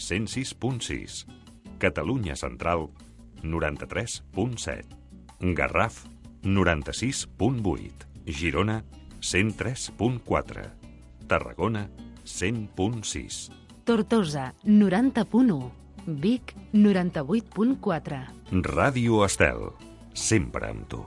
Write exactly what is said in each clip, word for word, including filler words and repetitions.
cent sis punt sis. Catalunya Central, noranta-tres punt set. Garraf, noranta-sis punt vuit. Girona, cent tres punt quatre. Tarragona, cent punt sis. Tortosa, noranta punt u. Vic, noranta-vuit punt quatre. Ràdio Estel, sempre amb tu.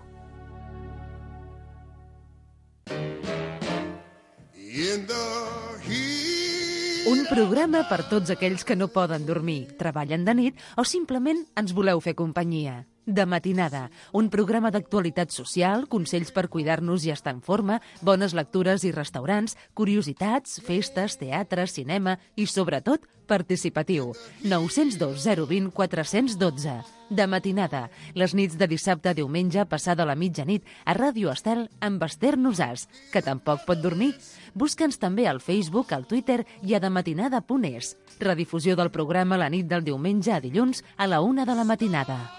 Un programa per tots aquells que no poden dormir, treballen de nit o simplement ens voleu fer companyia. De matinada, un programa d'actualitat social, consells per cuidar-nos i estar en forma, bones lectures i restaurants, curiositats, festes, teatre, cinema i, sobretot, participatiu. nou zero dos zero dos zero quatre un dos. De matinada, les nits de dissabte a diumenge passada la mitjanit a Ràdio Estel amb Esther Nosàs, que tampoc pot dormir. Busca'ns també al Facebook, al Twitter i a dematinada punt es. Redifusió del programa la nit del diumenge a dilluns a la una de la matinada.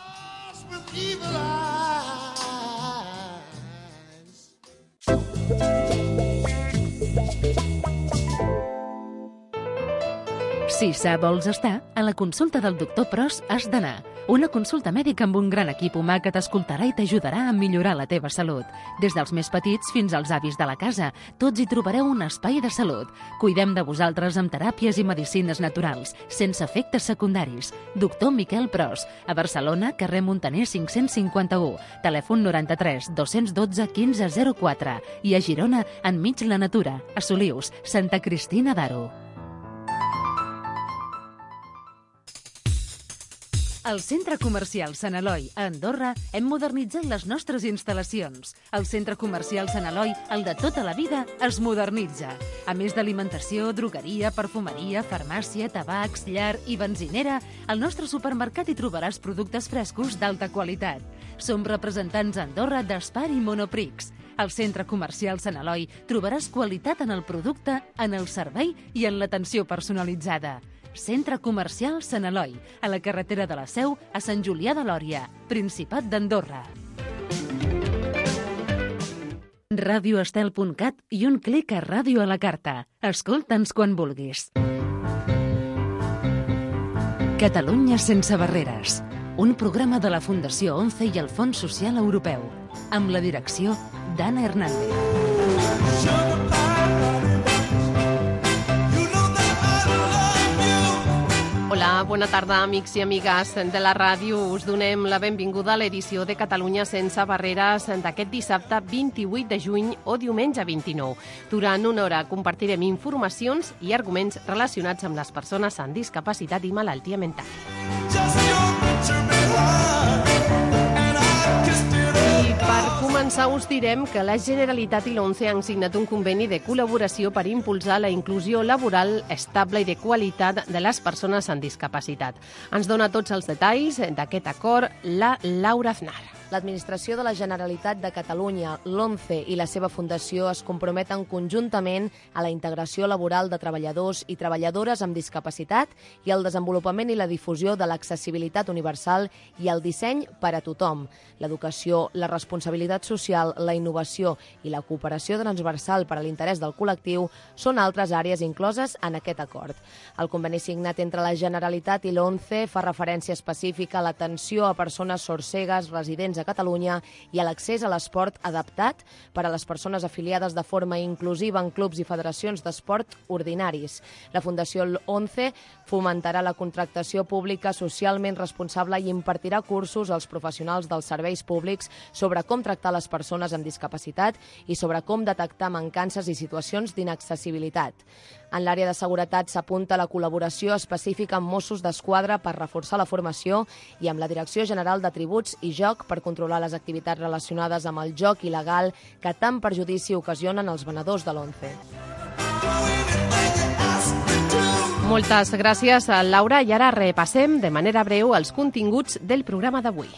Si sa vols estar, a la consulta del doctor Pros has d'anar. Una consulta mèdica amb un gran equip humà que t'escoltarà i t'ajudarà a millorar la teva salut. Des dels més petits fins als avis de la casa, tots hi trobareu un espai de salut. Cuidem de vosaltres amb teràpies i medicines naturals, sense efectes secundaris. Doctor Miquel Pros, a Barcelona, carrer Montaner cinc-cents cinquanta-u, telèfon noranta-tres dos cents dotze quinze zero quatre i a Girona, enmig la natura, a Solius, Santa Cristina d'Aro. Al Centre Comercial Sant Eloi, a Andorra, hem modernitzat les nostres instal·lacions. El Centre Comercial Sant Eloi, el de tota la vida, es modernitza. A més d'alimentació, drogueria, perfumeria, farmàcia, tabacs, llar i benzinera, al nostre supermercat hi trobaràs productes frescos d'alta qualitat. Som representants a Andorra d'Espar i Monoprix. Al Centre Comercial Sant Eloi trobaràs qualitat en el producte, en el servei i en l'atenció personalitzada. Centre Comercial Sant Eloi, a la carretera de la Seu, a Sant Julià de Lòria, Principat d'Andorra. radioestel punt cat i un clic a Ràdio a la carta. Escolta'ns quan vulguis. Catalunya sense barreres. Un programa de la Fundació ONCE i el Fons Social Europeu. Amb la direcció d'Anna Hernández. Hola, bona tarda, amics i amigues de la ràdio. Us donem la benvinguda a l'edició de Catalunya sense barreres d'aquest dissabte vint-i-vuit de juny o diumenge vint-i-nou. Durant una hora compartirem informacions i arguments relacionats amb les persones amb discapacitat i malaltia mental. I per començar us direm que la Generalitat i l'ONCE han signat un conveni de col·laboració per impulsar la inclusió laboral estable i de qualitat de les persones amb discapacitat. Ens dona tots els detalls d'aquest acord la Laura Aznar. L'Administració de la Generalitat de Catalunya, l'ONCE i la seva fundació es comprometen conjuntament a la integració laboral de treballadors i treballadores amb discapacitat i al desenvolupament i la difusió de l'accessibilitat universal i el disseny per a tothom. L'educació, la responsabilitat social, la innovació i la cooperació transversal per a l'interès del col·lectiu són altres àrees incloses en aquest acord. El conveni signat entre la Generalitat i l'ONCE fa referència específica a l'atenció a persones sordcegues residents a Catalunya i a l'accés a l'esport adaptat per a les persones afiliades de forma inclusiva en clubs i federacions d'esport ordinaris. La Fundació ONCE fomentarà la contractació pública socialment responsable i impartirà cursos als professionals dels serveis públics sobre com tractar les persones amb discapacitat i sobre com detectar mancances i situacions d'inaccessibilitat. En l'àrea de seguretat s'apunta la col·laboració específica amb Mossos d'Esquadra per reforçar la formació i amb la Direcció General de Tributs i Joc per controlar les activitats relacionades amb el joc il·legal que tant perjudici ocasionen els venedors de l'ONCE. Moltes gràcies, Laura, i ara repassem de manera breu els continguts del programa d'avui.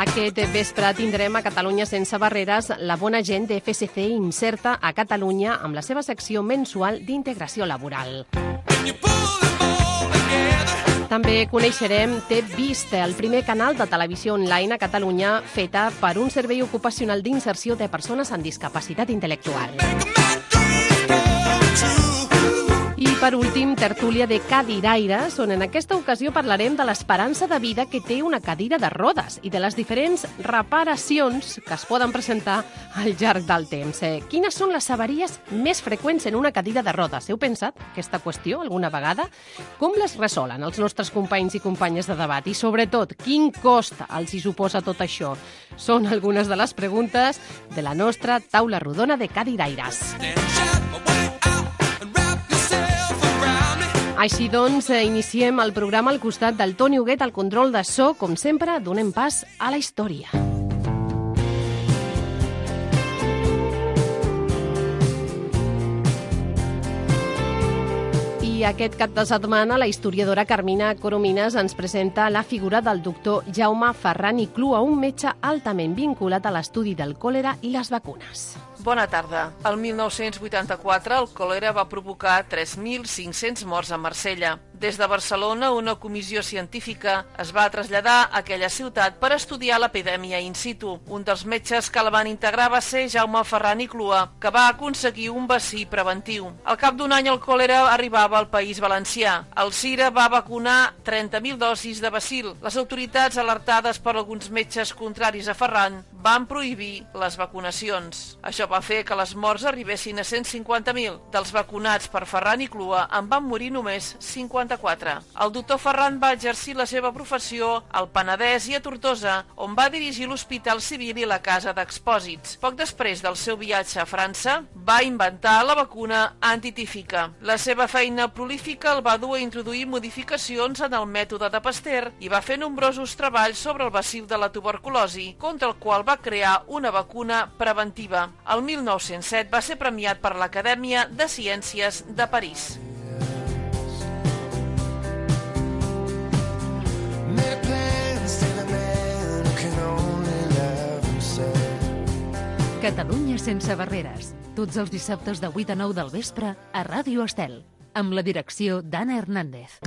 Aquest vespre tindrem a Catalunya sense barreres la bona gent de F S C Inserta a Catalunya amb la seva secció mensual d'integració laboral. També coneixerem T'he vist, el primer canal de televisió online a Catalunya feta per un servei ocupacional d'inserció de persones amb discapacitat intel·lectual. I per últim, tertúlia de cadiraires, on en aquesta ocasió parlarem de l'esperança de vida que té una cadira de rodes i de les diferents reparacions que es poden presentar al llarg del temps. Eh, quines són les avaries més freqüents en una cadira de rodes? Heu pensat aquesta qüestió alguna vegada? Com les resolen els nostres companys i companyes de debat? I sobretot, quin cost els hi suposa tot això? Són algunes de les preguntes de la nostra taula rodona de cadiraires. Així doncs, iniciem el programa al costat del Toni Huguet al control de so. Com sempre, donem pas a la història. I aquest cap de setmana la historiadora Carmina Coromines ens presenta la figura del doctor Jaume Ferran i Clua, un metge altament vinculat a l'estudi del còlera i les vacunes. Bona tarda. El mil nou-cents vuitanta-quatre el còlera va provocar tres mil cinc-cents morts a Marsella. Des de Barcelona, una comissió científica es va traslladar a aquella ciutat per estudiar l'epidèmia in situ. Un dels metges que la van integrar va ser Jaume Ferran i Clua, que va aconseguir un vaccí preventiu. Al cap d'un any el còlera arribava al País Valencià. El CIRA va vacunar trenta mil dosis de bacil. Les autoritats, alertades per alguns metges contraris a Ferran, van prohibir les vacunacions. Això va fer que les morts arribessin a cent cinquanta mil. Dels vacunats per Ferran i Clua en van morir només cinquanta-quatre. El doctor Ferran va exercir la seva professió al Penedès i a Tortosa, on va dirigir l'Hospital Civil i la Casa d'Expòsits. Poc després del seu viatge a França, va inventar la vacuna antitífica. La seva feina prolífica el va dur a introduir modificacions en el mètode de Pasteur i va fer nombrosos treballs sobre el bacil de la tuberculosi, contra el qual va crear una vacuna preventiva. El mil nou-cents set va ser premiat per l'Acadèmia de Ciències de París. Catalunya sense barreres. Tots els dissabtes de vuit a nou del vespre a Ràdio Estel, amb la direcció d'Anna Hernández.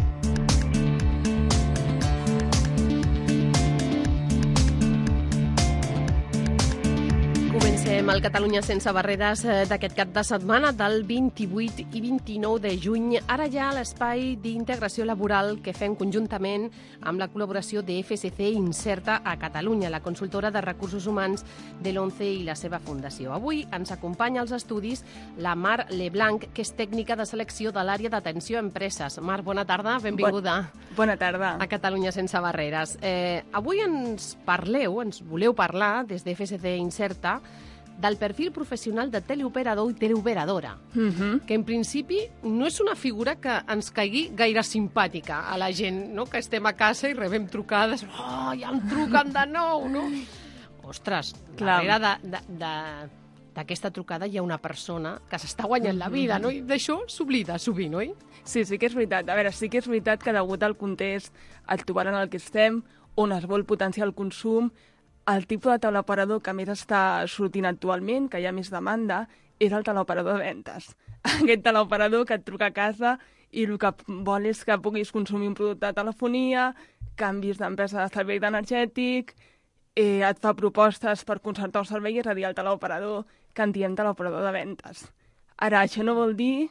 Comencem el Catalunya sense barreres d'aquest cap de setmana del vint-i-vuit i vint-i-nou de juny. Ara ja l'espai d'integració laboral que fem conjuntament amb la col·laboració de F S C Inserta a Catalunya, la consultora de recursos humans de l'ONCE i la seva fundació. Avui ens acompanya als estudis la Mar Leblanc, que és tècnica de selecció de l'àrea d'atenció a empreses. Mar, bona tarda, benvinguda. Bon, bona tarda. A Catalunya sense barreres. Eh, avui ens parleu, ens voleu parlar des de F S C Inserta del perfil professional de teleoperador i teleoperadora, Uh-huh. que en principi no és una figura que ens caigui gaire simpàtica a la gent, no? Que estem a casa i rebem trucades, oh, ja em truquen de nou, no? Ostres, Clar. darrere de, de, de, d'aquesta trucada hi ha una persona que s'està guanyant la vida, no? I d'això s'oblida sovint, oi? Sí, sí que és veritat. A veure, sí que és veritat que degut al context actual en el que estem, on es vol potenciar el consum, el tipus de teleoperador que més està sortint actualment, que hi ha més demanda, és el teleoperador de ventes. Aquest teleoperador que et truca a casa i el que vol és que puguis consumir un producte de telefonia, canvis d'empresa de servei energètic, eh, et fa propostes per concertar un servei, és a dir, el teleoperador que en diem teleoperador de ventes. Ara, això no vol dir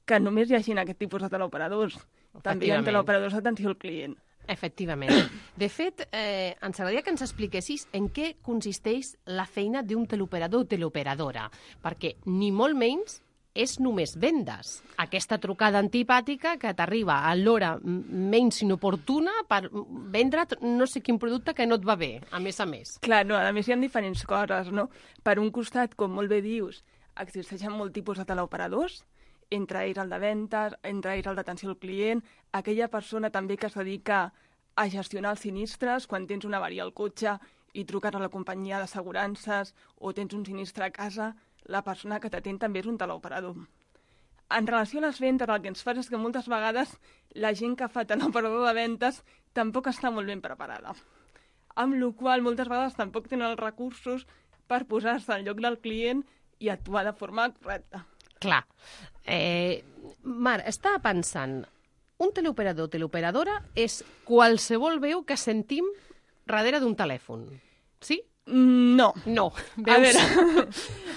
que només hi hagi aquest tipus de teleoperadors. També hi ha teleoperadors d'atenció al client. Efectivament. De fet, eh, ens agradaria que ens expliquessis en què consisteix la feina d'un teleoperador o teleoperadora, perquè ni molt menys és només vendes. Aquesta trucada antipàtica que t'arriba a l'hora menys inoportuna per vendre't no sé quin producte que no et va bé, a més a més. Clar, no, a més hi ha diferents coses, no? Per un costat, com molt bé dius, existeixen molt tipus de teleoperadors, entre ells el de ventes, entre ells el d'atenció al client, aquella persona també que es dedica a gestionar els sinistres, quan tens una avaria al cotxe i truques a la companyia d'assegurances o tens un sinistre a casa, la persona que t'atén també és un teleoperador. En relació a les ventes, el que ens fa és que moltes vegades la gent que fa teleoperador de ventes tampoc està molt ben preparada. Amb la qual cosa, moltes vegades tampoc tenen els recursos per posar-se al lloc del client i actuar de forma correcta. Clar. Eh, Mar, estava pensant, un teleoperador o teleoperadora és qualsevol veu que sentim darrere d'un telèfon. Sí? No. No. A veure,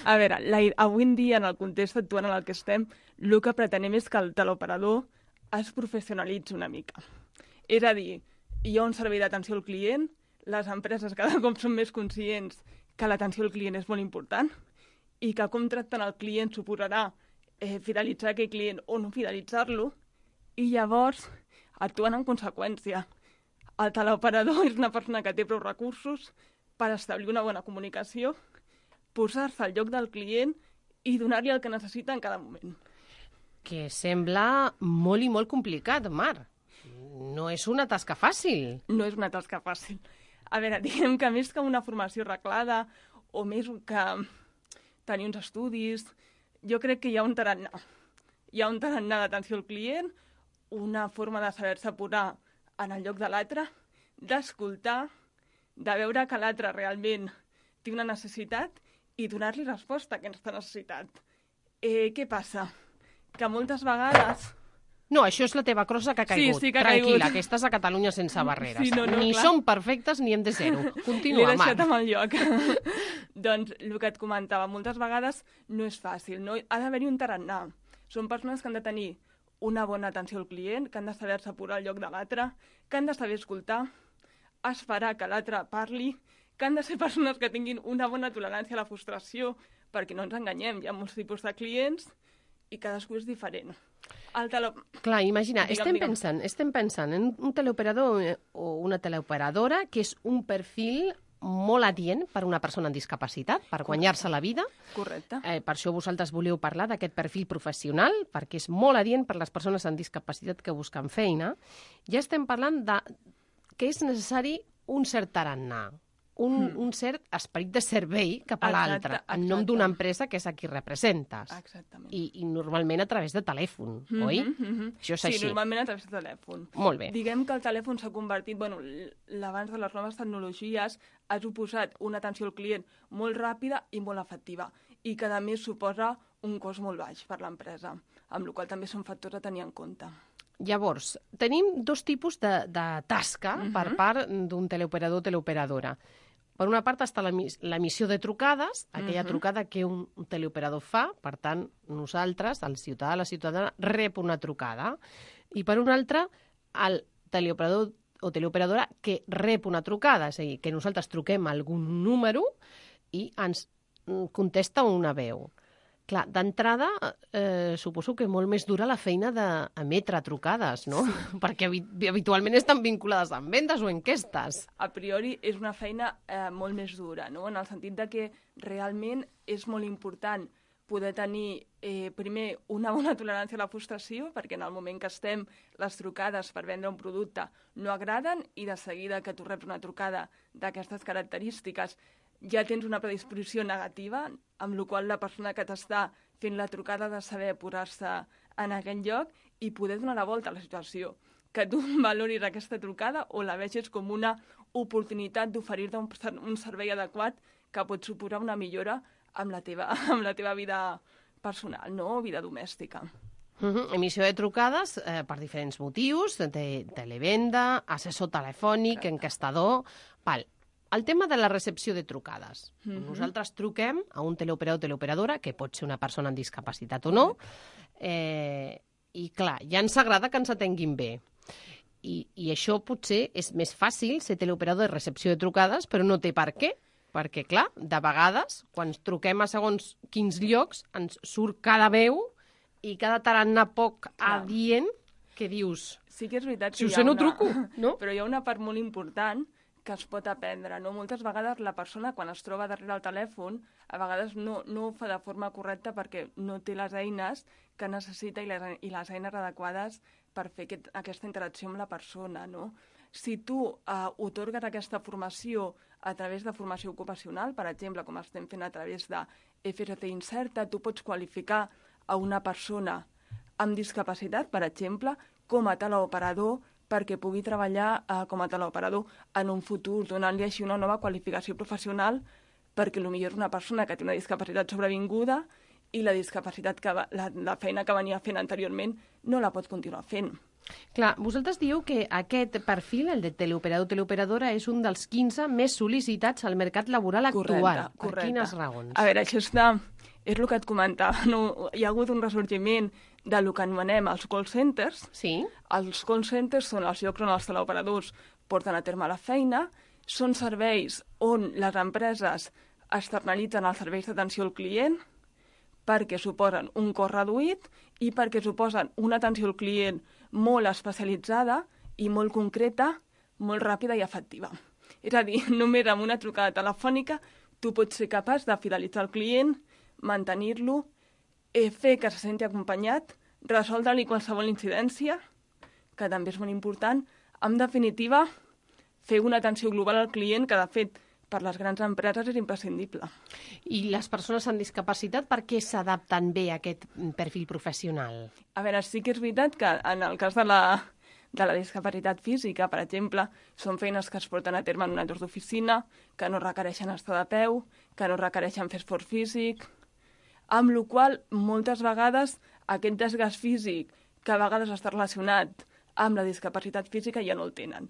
a veure la, avui en dia, en el context actual en el que estem, el que pretenem és que el teleoperador es professionalitzi una mica. És a dir, hi ha un servei d'atenció al client, les empreses cada cop són més conscients que l'atenció al client és molt important i que com tracten el client suposarà eh, fidelitzar aquell client o no fidelitzar-lo, i llavors actuen en conseqüència. El teleoperador és una persona que té prou recursos per establir una bona comunicació, posar-se al lloc del client i donar-li el que necessita en cada moment. Que sembla molt i molt complicat, Mar. No és una tasca fàcil. No és una tasca fàcil. A veure, diguem que més que una formació reglada o més que tenir uns estudis, jo crec que hi ha un tarannà. Hi ha un tarannà d'atenció al client, una forma de saber-se posar en el lloc de l'altre, d'escoltar, de veure que l'altre realment té una necessitat i donar-li resposta a aquesta necessitat. Eh, què passa? Que moltes vegades... No, això és la teva crossa que ha caigut. Sí, sí que ha Tranquil·la, caigut. que estàs a Catalunya sense barreres. Sí, no, no, ni clar. som perfectes ni hem de ser-ho. Continua, L'he deixat Mar. amb el lloc. Doncs el que et comentava, moltes vegades no és fàcil, no? Ha d'haver-hi un tarannà. Són persones que han de tenir una bona atenció al client, que han de saber-se posar al lloc de l'altre, que han de saber escoltar, esperar que l'altre parli, que han de ser persones que tinguin una bona tolerància a la frustració, perquè no ens enganyem, hi ha molts tipus de clients i cadascú és diferent. El tele... Clar, imagina, Digue'm, estem, digue'm. pensant, estem pensant en un teleoperador o una teleoperadora que és un perfil molt adient per a una persona amb discapacitat, per guanyar-se la vida. Correcte. Eh, per això vosaltres voleu parlar d'aquest perfil professional, perquè és molt adient per a les persones amb discapacitat que busquen feina. Ja estem parlant de que és necessari un cert tarannà, un, mm. un cert esperit de servei cap a l'altre, en nom d'una empresa que és a qui representes. Exactament. I, I normalment a través de telèfon, mm -hmm, oi? Mm -hmm. Això és sí, així. Sí, normalment a través de telèfon. Molt bé. Diguem que el telèfon s'ha convertit, bueno, l'abans de les noves tecnologies ha suposat una atenció al client molt ràpida i molt efectiva, i que a més suposa un cost molt baix per l'empresa, amb la qual també són factors a tenir en compte. Llavors, tenim dos tipus de, de tasca uh -huh. per part d'un teleoperador o teleoperadora. Per una part està l'emissió de trucades, aquella uh -huh. trucada que un teleoperador fa, per tant, nosaltres, el ciutadà, la ciutadana, rep una trucada. I per una altra, el teleoperador o teleoperadora que rep una trucada, és a dir, que nosaltres truquem a algun número i ens contesta una veu. Clar, d'entrada, eh, suposo que molt més dura la feina d'emetre trucades, no? Sí. Perquè habitualment estan vinculades amb vendes o enquestes. A priori és una feina eh, molt més dura, no? En el sentit de que realment és molt important poder tenir, eh, primer, una bona tolerància a la frustració, perquè en el moment que estem, les trucades per vendre un producte no agraden, i de seguida que tu reps una trucada d'aquestes característiques ja tens una predisposició negativa, amb la qual la persona que t'està fent la trucada ha de saber posar-se en aquell lloc i poder donar la volta a la situació. Que tu valoris aquesta trucada o la vegis com una oportunitat d'oferir-te un, un servei adequat que pot suposar una millora amb la teva, amb la teva vida personal, no? O vida domèstica. Uh -huh. Emissió de trucades eh, per diferents motius, de televenda, assessor telefònic, Exacte. enquestador... Val. El tema de la recepció de trucades. Mm-hmm. Nosaltres truquem a un teleoperador o teleoperadora, que pot ser una persona amb discapacitat o no, eh, i clar, ja ens agrada que ens atenguin bé. I, I això potser és més fàcil ser teleoperador de recepció de trucades, però no té per què. Perquè, clar, de vegades, quan truquem a segons quins llocs, ens surt cada veu i cada tarannà poc clar. adient que dius... Sí que és veritat que si ho hi ha sé, no una... truco, no? Però hi ha una part molt important que es pot aprendre, no? Moltes vegades la persona, quan es troba darrere el telèfon, a vegades no, no ho fa de forma correcta perquè no té les eines que necessita i les, i les eines adequades per fer aquest, aquesta interacció amb la persona, no? Si tu eh, otorgues aquesta formació a través de formació ocupacional, per exemple, com estem fent a través de F R T Incerta, tu pots qualificar a una persona amb discapacitat, per exemple, com a teleoperador, perquè pugui treballar eh, com a teleoperador en un futur, donant-li així una nova qualificació professional, perquè potser és una persona que té una discapacitat sobrevinguda i la discapacitat que va, la, la feina que venia fent anteriorment no la pot continuar fent. Clar, vosaltres dieu que aquest perfil, el de teleoperador teleoperadora, és un dels quinze més sol·licitats al mercat laboral actual. Correcte, Per correcte. quines raons? A veure, això està... És el que et comentava, no? Hi ha hagut un ressorgiment de lo que anomenem els call centers. Sí? Els call centers són els llocs on els teleoperadors porten a terme la feina, són serveis on les empreses externalitzen els serveis d'atenció al client perquè suposen un cost reduït i perquè suposen una atenció al client molt especialitzada i molt concreta, molt ràpida i efectiva. És a dir, només amb una trucada telefònica tu pots ser capaç de fidelitzar el client, mantenir-lo, eh, fer que se senti acompanyat, resoldre-li qualsevol incidència, que també és molt important. En definitiva, fer una atenció global al client, que de fet per les grans empreses és imprescindible. I les persones amb discapacitat, per què s'adapten bé a aquest perfil professional? A veure, sí que és veritat que en el cas de la, de la discapacitat física, per exemple, són feines que es porten a terme en un entorn d'oficina, que no requereixen estar de peu, que no requereixen fer esforç físic, amb la qual moltes vegades aquest desgast físic, que a vegades està relacionat amb la discapacitat física, ja no el tenen.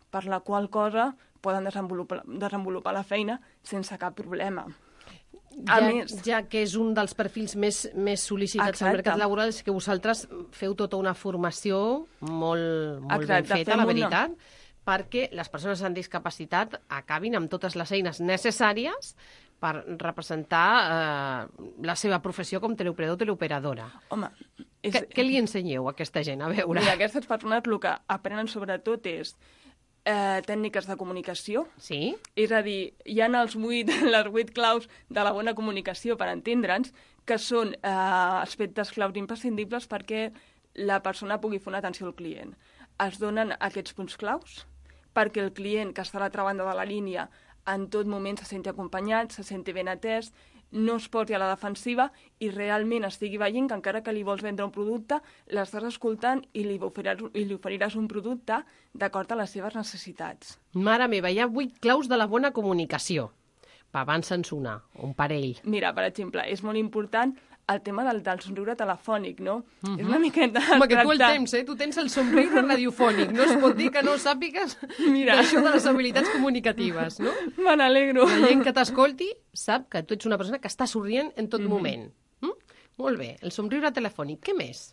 Per la qual cosa poden desenvolupar, desenvolupar la feina sense cap problema. A Ja, més, ja que és un dels perfils més, més sol·licitats Exacte. al mercat laboral, és que vosaltres feu tota una formació molt, molt ben Exacte, feta, fem la una- veritat, perquè les persones amb discapacitat acabin amb totes les eines necessàries per representar eh, la seva professió com teleoperador o teleoperadora. home... És... Què, què li ensenyeu a aquesta gent? A veure. Mira, aquestes persones el que aprenen sobretot és eh, tècniques de comunicació. Sí? És a dir, hi ha els vuit, les vuit claus de la bona comunicació, per entendre'ns, que són eh, aspectes claus imprescindibles perquè la persona pugui fer una atenció al client. Es donen aquests punts claus perquè el client que està a l'altra banda de la línia en tot moment se senti acompanyat, se senti ben atès, no es posi a la defensiva i realment estigui veient que encara que li vols vendre un producte, l'estàs escoltant i li oferiràs, i li oferiràs un producte d'acord a les seves necessitats. Mare meva, hi ha vuit claus de la bona comunicació. Va, abans-se'ns una, un parell. Mira, per exemple, és molt important el tema del, del somriure telefònic, no? Mhm. És una miqueta... Home, que tu el tractar- temps, eh? Tu tens el somriure radiofònic. No es pot dir que no sàpigues Mira. d'això de les habilitats comunicatives, no? Me n'alegro. La gent que t'escolti sap que tu ets una persona que està sorrient en tot moment. Mm? Molt bé, el somriure telefònic. Què més?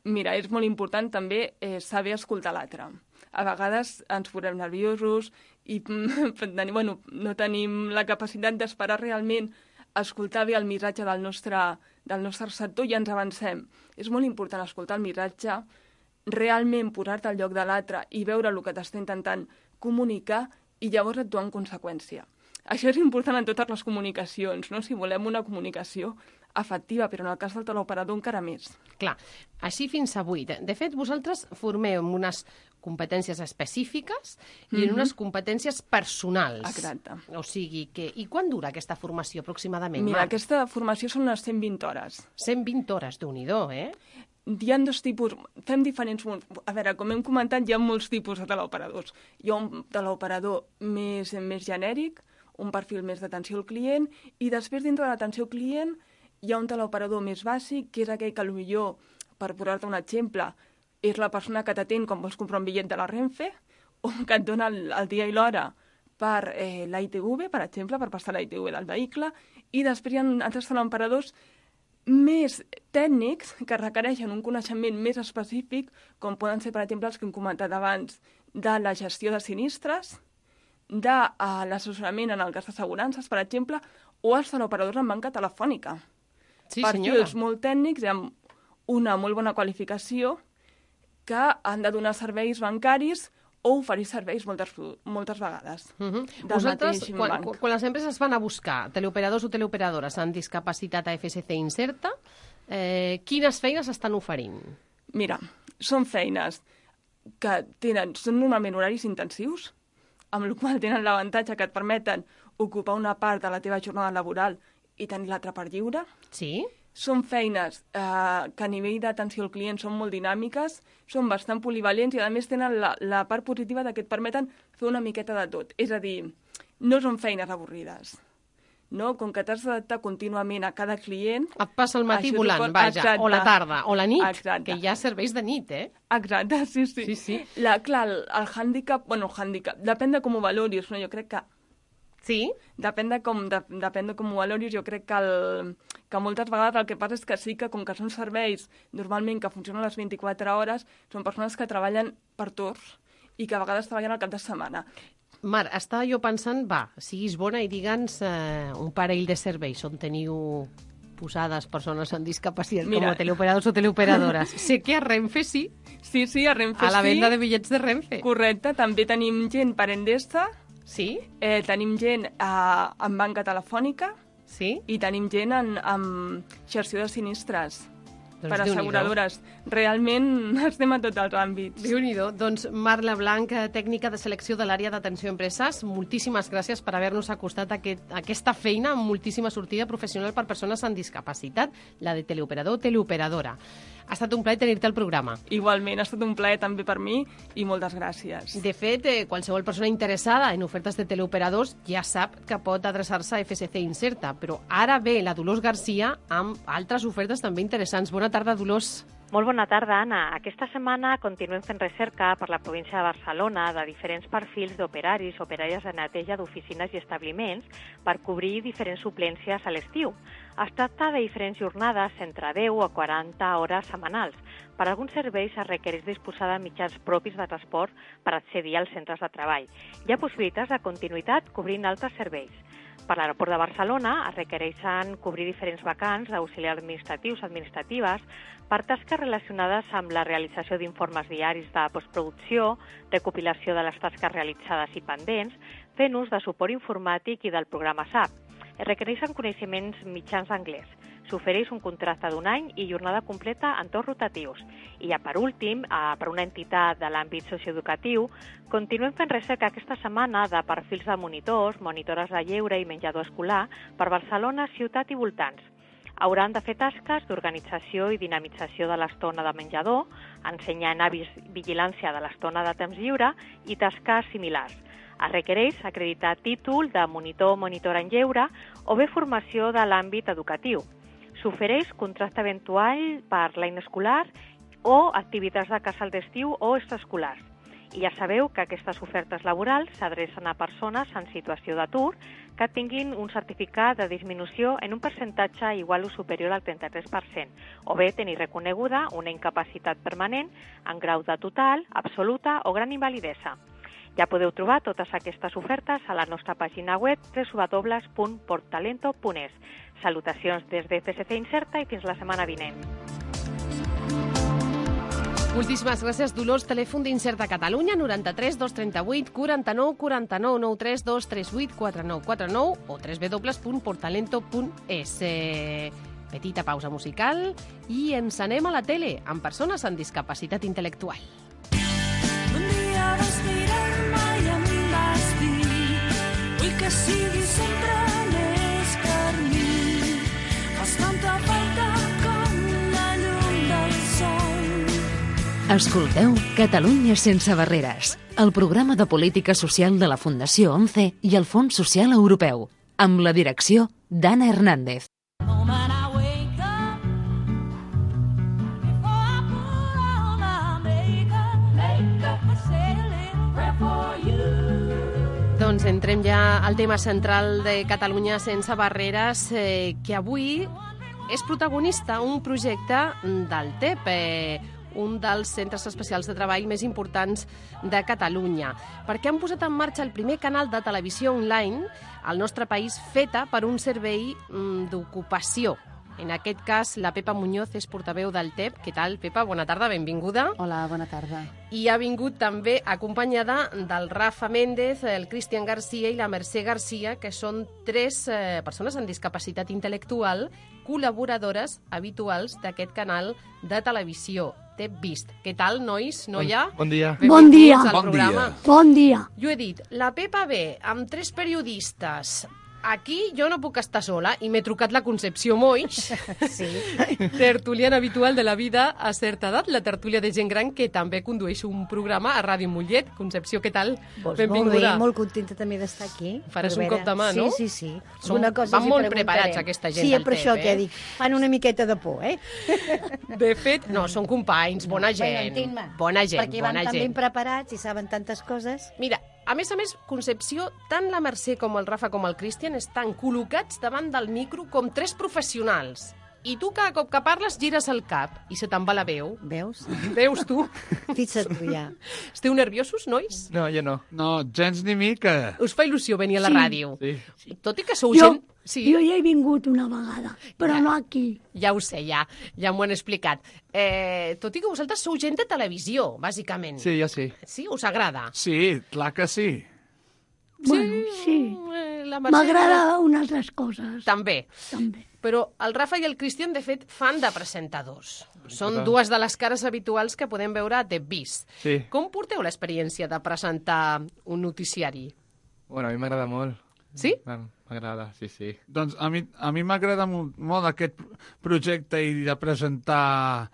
Mira, és molt important també eh, saber escoltar l'altre. A vegades ens posem nerviosos i mm, bueno, no tenim la capacitat d'esperar realment escoltar bé el missatge del nostre, del nostre receptor i ens avancem. És molt important escoltar el missatge, realment posar-te al lloc de l'altre i veure el que t'està intentant comunicar i llavors actuar en conseqüència. Això és important en totes les comunicacions, no? Si volem una comunicació efectiva, però en el cas del teleoperador encara més. Clar, així fins a vuit. De fet, vosaltres formeu en unes competències específiques i en unes competències personals. Exacte. O sigui que... I quan dura aquesta formació aproximadament, Mira, Marc? aquesta formació són unes cent vint hores. cent vint hores, Déu-n'hi-do, eh? Hi ha dos tipus, fem diferents... A veure, com hem comentat, hi ha molts tipus de teleoperadors. Hi ha un teleoperador més, més genèric, un perfil més d'atenció al client, i després dintre de l'atenció al client hi ha un teleoperador més bàsic, que és aquell que potser, per posar-te un exemple, és la persona que t'atén quan vols comprar un bitllet de la Renfe, o que et dona el, el dia i l'hora per eh, la I T V, per exemple, per passar la I T V del vehicle, i després hi ha altres teleoperadors més tècnics que requereixen un coneixement més específic, com poden ser, per exemple, els que hem comentat abans, de la gestió de sinistres, de uh, l'assessorament en el cas d'assegurances, per exemple, o els teleoperadors en banca telefònica. Sí, Perfils senyora. molt tècnics i amb una molt bona qualificació que han de donar serveis bancaris o oferir serveis moltes, moltes vegades. Uh -huh. del Vosaltres, mateix quan, banc. quan, quan les empreses van a buscar teleoperadors o teleoperadores amb discapacitat a F S C Inserta, eh, quines feines estan oferint? Mira, són feines que tenen, són normalment horaris intensius, amb la qual tenen l'avantatge que et permeten ocupar una part de la teva jornada laboral i tenir l'altra part lliure. Sí? Són feines eh, que a nivell d'atenció al client són molt dinàmiques, són bastant polivalents i a més tenen la, la part positiva de que et permeten fer una miqueta de tot. És a dir, no són feines avorrides. no? Com que t'has d'adaptar contínuament a cada client... Et passa el matí això volant, suposa- vaja, Exacte. o la tarda, o la nit, Exacte. que hi ha serveis de nit, eh? Exacte, sí, sí. Sí, sí. La, clar, el, el hàndicap, bueno, el hàndicap, depèn de com ho valoris, no? Jo crec que Sí? depèn de com, de, depèn de com ho valoris, jo crec que, el, que moltes vegades el que passa és que sí que com que són serveis normalment que funcionen les vint-i-quatre hores, són persones que treballen per torns i que a vegades treballen al cap de setmana. Mar, estava jo pensant, va, siguis bona i digue'ns eh, un parell de serveis on teniu posades persones amb discapacitat, Mira. com a teleoperadors o teleoperadores. Sé que a Renfe sí, Sí, sí, a Renfe a la sí. venda de bitllets de Renfe. Correcte, també tenim gent per Endesa, Sí? eh, tenim gent eh, en banca telefònica Sí? i tenim gent en, en xarxa de sinistres Doncs per Déu-n'hi-do. asseguradores. Realment estem a tots els àmbits. Déu-n'hi-do. Doncs Marla Blanc, tècnica de selecció de l'àrea d'atenció a empreses, moltíssimes gràcies per haver-nos acostat a aquest, a aquesta feina amb moltíssima sortida professional per persones amb discapacitat, la de teleoperador o teleoperadora. Ha estat un plaer tenir-te al programa. Igualment, ha estat un plaer també per mi i moltes gràcies. De fet, eh, qualsevol persona interessada en ofertes de teleoperadors ja sap que pot adreçar-se a F S C Inserta, però ara ve la Dolors Garcia amb altres ofertes també interessants. Bona tarda, Dolors. Molt bona tarda, Anna. Aquesta setmana continuem fent recerca per la província de Barcelona de diferents perfils d'operaris, operàries de neteja d'oficines i establiments per cobrir diferents suplències a l'estiu. Es tracta de diferents jornades entre deu a quaranta hores setmanals. Per alguns serveis es requereix disposar de mitjans propis de transport per accedir als centres de treball. Hi ha possibilitats de continuïtat cobrint altres serveis. Per l'aeroport de Barcelona es requereixen cobrir diferents vacants d'auxiliars administratius administratives per tasques relacionades amb la realització d'informes diaris de postproducció, recopilació de les tasques realitzades i pendents, fent ús de suport informàtic i del programa S A P. Es requereixen coneixements mitjans d'anglès. S'ofereix un contracte d'un any i jornada completa en torns rotatius. I ja per últim, eh, per una entitat de l'àmbit socioeducatiu, continuem fent recerca aquesta setmana de perfils de monitors, monitores de lleure i menjador escolar per Barcelona, ciutat i voltants. Hauran de fer tasques d'organització i dinamització de l'estona de menjador, ensenyar hàbits vigilància de l'estona de temps lliure i tasques similars. Es requereix acreditar títol de monitor o monitora en lleure o bé formació de l'àmbit educatiu. S'ofereix contracte eventual per l'any escolar o activitats de casal d'estiu o extraescolars. I ja sabeu que aquestes ofertes laborals s'adrecen a persones en situació d'atur que tinguin un certificat de disminució en un percentatge igual o superior al trenta-tres per cent, o bé tenir reconeguda una incapacitat permanent en grau de total, absoluta o gran invalidesa. Ja podeu trobar totes aquestes ofertes a la nostra pàgina web w w w punt portalento punt es. Salutacions des de F S C Inserta i fins la setmana vinent. Moltíssimes gràcies, Dolors. Telèfon d'Inserta Catalunya, noranta-tres dos trenta-vuit quaranta-nou quaranta-nou, nou tres dos tres vuit quatre nou quatre nou o w w w punt portalento punt es. Eh, petita pausa musical i ens anem a la tele amb persones amb discapacitat intel·lectual. Un dia vas mirar-me i em vas dir vull que siguis sempre més per mi. Fas tanta falta com la llum del sol. Escolteu Catalunya sense barreres, el programa de política social de la Fundació ONCE i el Fons Social Europeu, amb la direcció d'Anna Hernández. Doncs entrem ja al tema central de Catalunya sense barreres, eh, que avui és protagonista un projecte del T E P, eh, un dels centres especials de treball més importants de Catalunya, perquè han posat en marxa el primer canal de televisió online al nostre país feta per un servei mm, d'ocupació. En aquest cas, la Pepa Muñoz és portaveu del T E P. Què tal, Pepa? Bona tarda, benvinguda. Hola, bona tarda. I ha vingut també acompanyada del Rafa Méndez, el Cristian Garcia i la Mercè Garcia, que són tres eh, persones amb discapacitat intel·lectual, col·laboradores habituals d'aquest canal de televisió, T E P Vist. Què tal, nois, noia? Bon dia. Bon dia. Al Bon programa. dia. Bon dia. Jo he dit, la Pepa ve amb tres periodistes, aquí jo no puc estar sola i m'he trucat la Concepció Moix, sí. tertuliana habitual de la vida a certa edat, la tertúlia de gent gran que també condueix un programa a Ràdio Mollet. Concepció, què tal? Pues Benvinguda. Molt bé, molt contenta també d'estar aquí. Faràs Per un veure- cop de mà, no? Sí, sí, sí. Som- Alguna cosa van els hi molt preguntarem. preparats, aquesta gent sí, del per això T E P, que eh? dic, fan una miqueta de por, eh? De fet, no, són companys, bona gent. Bueno, entenc-me, bona gent, perquè van bona tan ben gent. preparats i saben tantes coses. Mira, a més a més, Concepció, tant la Mercè com el Rafa com el Cristian estan col·locats davant del micro com tres professionals. I tu cada cop que parles gires el cap i se te'n va la veu. Veus? Veus tu? Fixa't tu ja. Esteu nerviosos, nois? No, jo no. No, gens ni mica. Us fa il·lusió venir a la Sí. ràdio? Sí. Tot i que sou Jo, gent... Sí. jo ja he vingut una vegada, però no aquí. Ja ho sé, ja, ja m'ho han explicat. Eh, tot i que vosaltres sou gent de televisió, bàsicament. Sí, jo sí. Sí? Us agrada? Sí, clar que sí. Bueno, sí. Eh, la Mercè- M'agrada unes altres coses, També. també. Però el Rafa i el Cristian, de fet, fan de presentadors. Són Clar. dues de les cares habituals que podem veure a T V I S. Sí. Com porteu l'experiència de presentar un noticiari? Bueno, a mi m'agrada molt. Sí? Bueno, m'agrada, sí, sí. Doncs a mi, a mi m'agrada molt, molt aquest projecte i de presentar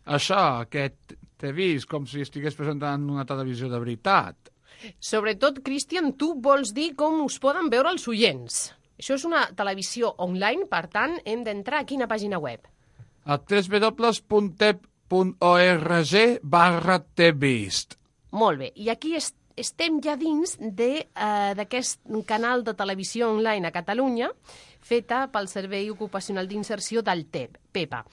això, aquest T V I S, com si estigués presentant una televisió de veritat. Sobretot, Cristian, tu vols dir com us poden veure els oients. Això és una televisió online, per tant, hem d'entrar a quina pàgina web? A w w w punt tep punt org barra tvist. Molt bé, i aquí est estem ja dins de, eh, d'aquest canal de televisió online a Catalunya, feta pel Servei Ocupacional d'Inserció del T E P, PEPA.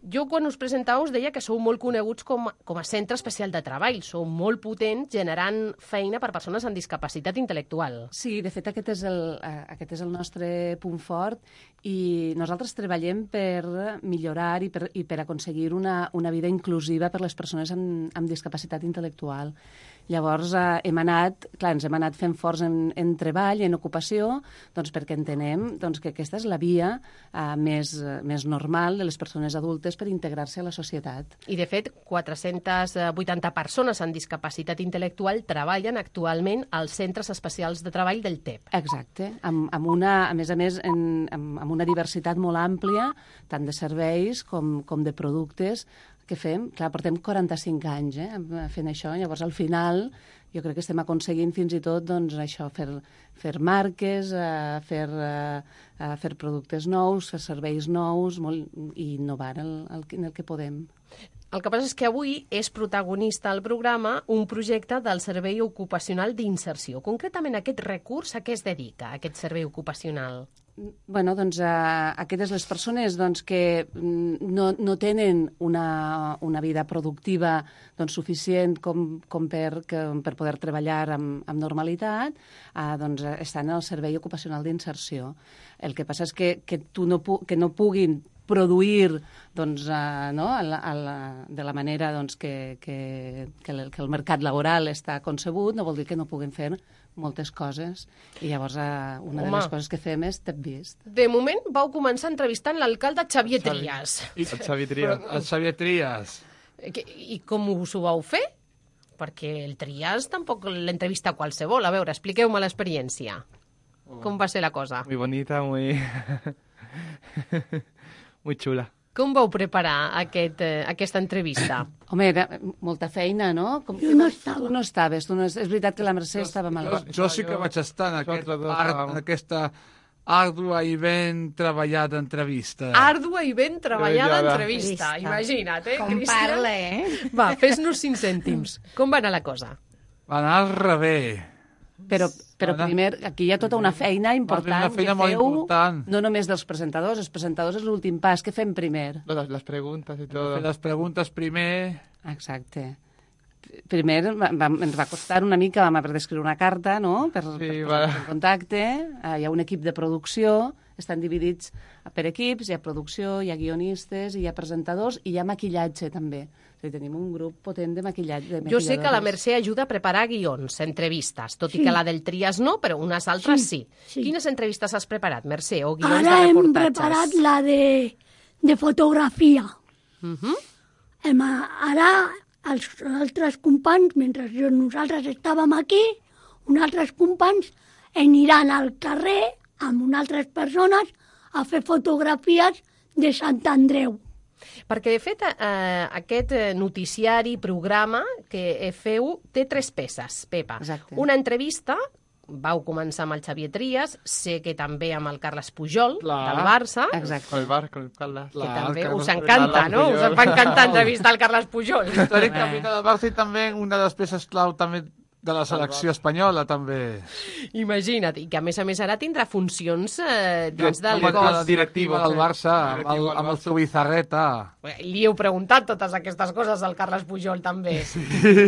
Jo, quan us presentàveu, us deia que sou molt coneguts com, com a centre especial de treball. Sou molt potents generant feina per persones amb discapacitat intel·lectual. Sí, de fet, aquest és el, eh, aquest és el nostre punt fort i nosaltres treballem per millorar i per, i per aconseguir una, una vida inclusiva per les persones amb, amb discapacitat intel·lectual. Llavors, eh, hem anat, clar, ens hem anat fent forts en, en treball, en ocupació, doncs perquè entenem doncs, que aquesta és la via eh, més, eh, més normal de les persones adultes per integrar-se a la societat. I, de fet, quatre-centes vuitanta persones amb discapacitat intel·lectual treballen actualment als centres especials de treball del T E P. Exacte, amb, amb una, a més a més, en, amb, amb una diversitat molt àmplia, tant de serveis com, com de productes que fem. Clar, portem quaranta-cinc anys eh, fent això, llavors al final jo crec que estem aconseguint fins i tot doncs, això, fer, fer marques, eh, fer, eh, fer productes nous, fer serveis nous molt, i innovar el, el, en el que podem. El que passa és que avui és protagonista al programa un projecte del Servei Ocupacional d'Inserció. Concretament, aquest recurs a què es dedica, aquest servei ocupacional? Bueno, doncs, eh, aquestes les persones doncs, que no, no tenen una, una vida productiva doncs, suficient com, com per, que, per poder treballar amb, amb normalitat, eh, doncs, estan en el Servei Ocupacional d'Inserció. El que passa és que, que, tu no, pu que no puguin produir doncs, uh, no? a la, a la, de la manera doncs, que, que, que, el, que el mercat laboral està concebut, no vol dir que no puguin fer moltes coses. I llavors uh, una Home. de les coses que fem és T E P Vist. De moment vau començar entrevistant l'alcalde Xavier Trias. I, El Xavi Trias. El Xavier Trias. Que- I com us ho vau fer? Perquè el Trias tampoc l'entrevista qualsevol. A veure, expliqueu-me l'experiència. Com va ser la cosa? Muy bonita, muy... muy chula. Com vau preparar aquest, eh, aquesta entrevista? Home, era molta feina, no? Com, Jo no estava. Tu no estaves, tu no, és veritat que la Mercè estava Jo, malament. jo sí que vaig estar en, aquest Nosaltres dos art, estàvem. en aquesta àrdua i ben treballada entrevista. Àrdua i ben treballada Treballada. entrevista. Entrevista. Imagina't, eh, Com Cristian? parla, eh? Va, fes-nos cinc cèntims. Com va anar la cosa? Va anar al revés. Però, però Ara- primer, aquí hi ha tota una feina important una feina que molt feu, important. no només dels presentadors, els presentadors és l'últim pas, que fem primer? Las, las preguntas y todo. Fer les preguntes primer. Exacte. Primer va, va, ens va costar una mica, vam haver d'escriure una carta, no?, per, Sí, per va. posar-nos en contacte. Uh, hi ha un equip de producció, estan dividits per equips, hi ha producció, hi ha guionistes, hi ha presentadors i hi ha maquillatge, també. O sigui, tenim un grup potent de maquillatge. De Jo sé que la maquilladores. Mercè ajuda a preparar guions, entrevistes, tot i Sí. que la del Trias no, però unes altres sí. Sí, sí. Quines entrevistes has preparat, Mercè, o guions Ara de hem reportatges? preparat la de, de fotografia. Uh -huh. Hem, ara els altres companys, mentre jo, nosaltres estàvem aquí, uns altres companys aniran al carrer amb unes altres persones a fer fotografies de Sant Andreu. Perquè, de fet, eh, aquest eh, noticiari, programa que feu, té tres peces, Pepa. Exacte. Una entrevista, vau començar amb el Xavier Trias, sé que també amb el Carles Pujol, Clar. del Barça, Exacte. Con el bar, con el Carles. que Clar, també el us Carles- encanta, Carles no? Pujol. Us va encantar entrevistar el Carles Pujol. Històric capità del Barça i també una de les peces clau també de la selecció espanyola, també. Imagina't, i que a més a més ara tindrà funcions eh, dins del Com a cos. directiva del Barça, amb el, amb el seu Bizarreta. Li heu preguntat totes aquestes coses al Carles Pujol, també. Sí.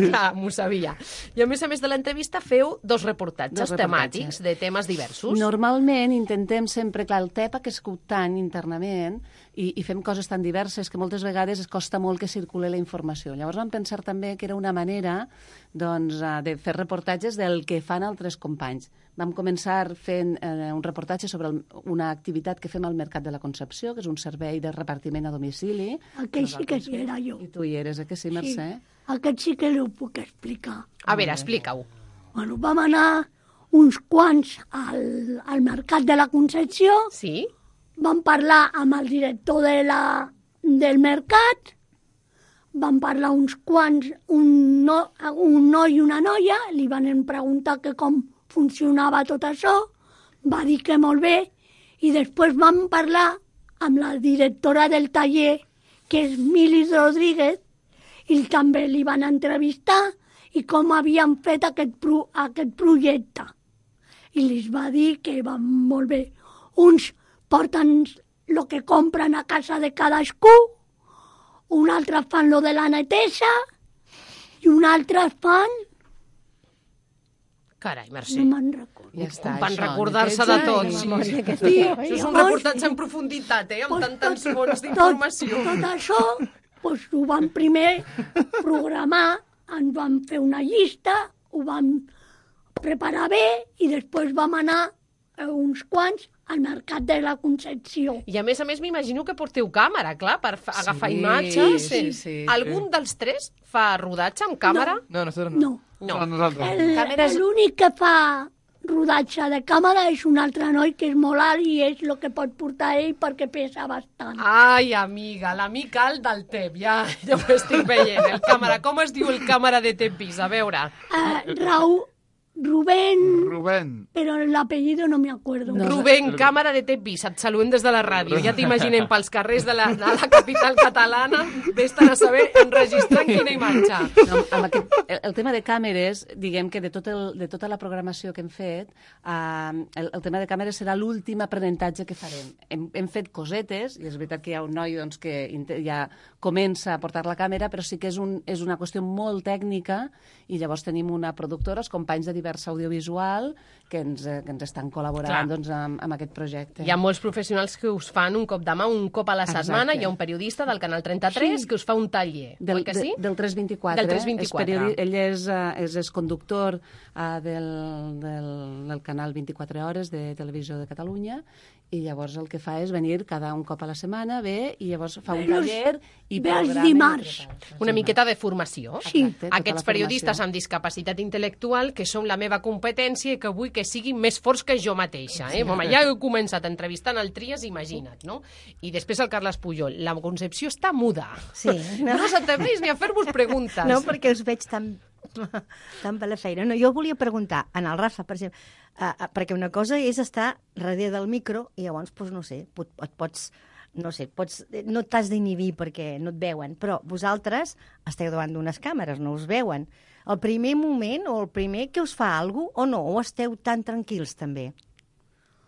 Clar, m'ho sabia. I a més a més de l'entrevista feu dos reportatges, Dos reportatges. temàtics de temes diversos. Normalment intentem sempre, clar, el T E P ha crescut tant internament i, i fem coses tan diverses que moltes vegades es costa molt que circuli la informació. Llavors vam pensar també que era una manera doncs, eh, de fer reportatges del que fan altres companys. Vam començar fent eh, un reportatge sobre el, una activitat que fem al Mercat de la Concepció, que és un servei de repartiment a domicili. Aquell sí que hi era jo. I tu hi eres, eh, que sí, Mercè? Sí, aquest sí que l'ho puc explicar. A veure, explica-ho. Bueno, vam anar uns quants al, al Mercat de la Concepció. Sí. Vam parlar amb el director de la, del mercat. Vam parlar uns quants, un, no, un noi i una noia. Li van preguntar que com funcionava tot això. Va dir que molt bé. I després vam parlar amb la directora del taller, que és Milis Rodríguez, i també li van entrevistar i com havien fet aquest, pro, aquest projecte. I li va dir que van molt bé. Uns porten el que compren a casa de cadascú, un altre fan lo de la neteja i un altre fan... Carai, Mercè. No me'n recordo. Ja està, Van això, recordar-se de tot. neteja i Sí, memòria sí. que Sí, té. això és un Llavors- reportatge en profunditat, eh? Amb Pues tant, tants tot- fons tot- d'informació. Tot això pues, ho vam primer programar, ens vam fer una llista, ho vam preparar bé i després vam anar eh, uns quants al Mercat de la Concepció. I a més a més m'imagino que porteu càmera, clar, per fa- agafar Sí, imatges. sí, sí. Algun dels tres fa rodatge amb càmera? No, nosotros no. No. No. No, nosaltres. El- Càmeres- L'únic que fa rodatge de càmera és un altre noi que és molt alt i és el que pot portar ell perquè pesa bastant. Ai, amiga, l'amic alt del T E P, ja, ja ho estic veient. El càmera, com es diu el càmera de Tepis? A veure. Uh, Raúl, Rubén, Rubén. però l'apellido no me acuerdo. No, Rubén, càmera de Tepis, et saludem des de la ràdio. Ja t'imaginem pels carrers de la, de la capital catalana, vés-te'n a saber enregistrant quina imatge. No, amb aquest, el, el tema de càmeres, diguem que de, tot el, de tota la programació que hem fet, uh, el, el tema de càmeres serà l'últim aprenentatge que farem. Hem, hem fet cosetes, i és veritat que hi ha un noi doncs, que inte- ja comença a portar la càmera, però sí que és, un, és una qüestió molt tècnica, i llavors tenim una productora, els companys de Diversa Audiovisual, que ens, eh, que ens estan col·laborant doncs, amb, amb aquest projecte. Hi ha molts professionals que us fan un cop de mà, un cop a la setmana. Exacte. Hi ha un periodista del Canal trenta-tres Sí. que us fa un taller, Del, oi que sí? de, del tres vint-i-quatre. Del tres És vint-i-quatre. periodi- ell és, uh, és, és conductor uh, del, del, del canal vint-i-quatre hores de Televisió de Catalunya, i llavors el que fa és venir cada un cop a la setmana, ve, i llavors fa un Ve els- taller i ve els programa. dimarts. Una miqueta de formació. Sí. Exacte, tota Aquests la periodistes formació. amb discapacitat intel·lectual, que són la meva competència i que vull que siguin més forts que jo mateixa. Eh? Home, ja he començat entrevistant el Trias, imagina't, no? I després el Carles Pujol. La Concepció està muda. Sí, No, no s'atreveix ni a fer-vos preguntes. No, perquè us veig tan, tan per la feina. No, jo volia preguntar, en el Rafa, per exemple, uh, uh, perquè una cosa és estar darrere del micro i llavors, doncs, no sé, pot, et pots, no sé, pots, no t'has d'inhibir perquè no et veuen, però vosaltres esteu davant d'unes càmeres, no us veuen. El primer moment o el primer que us fa alguna cosa o no, o esteu tan tranquils també?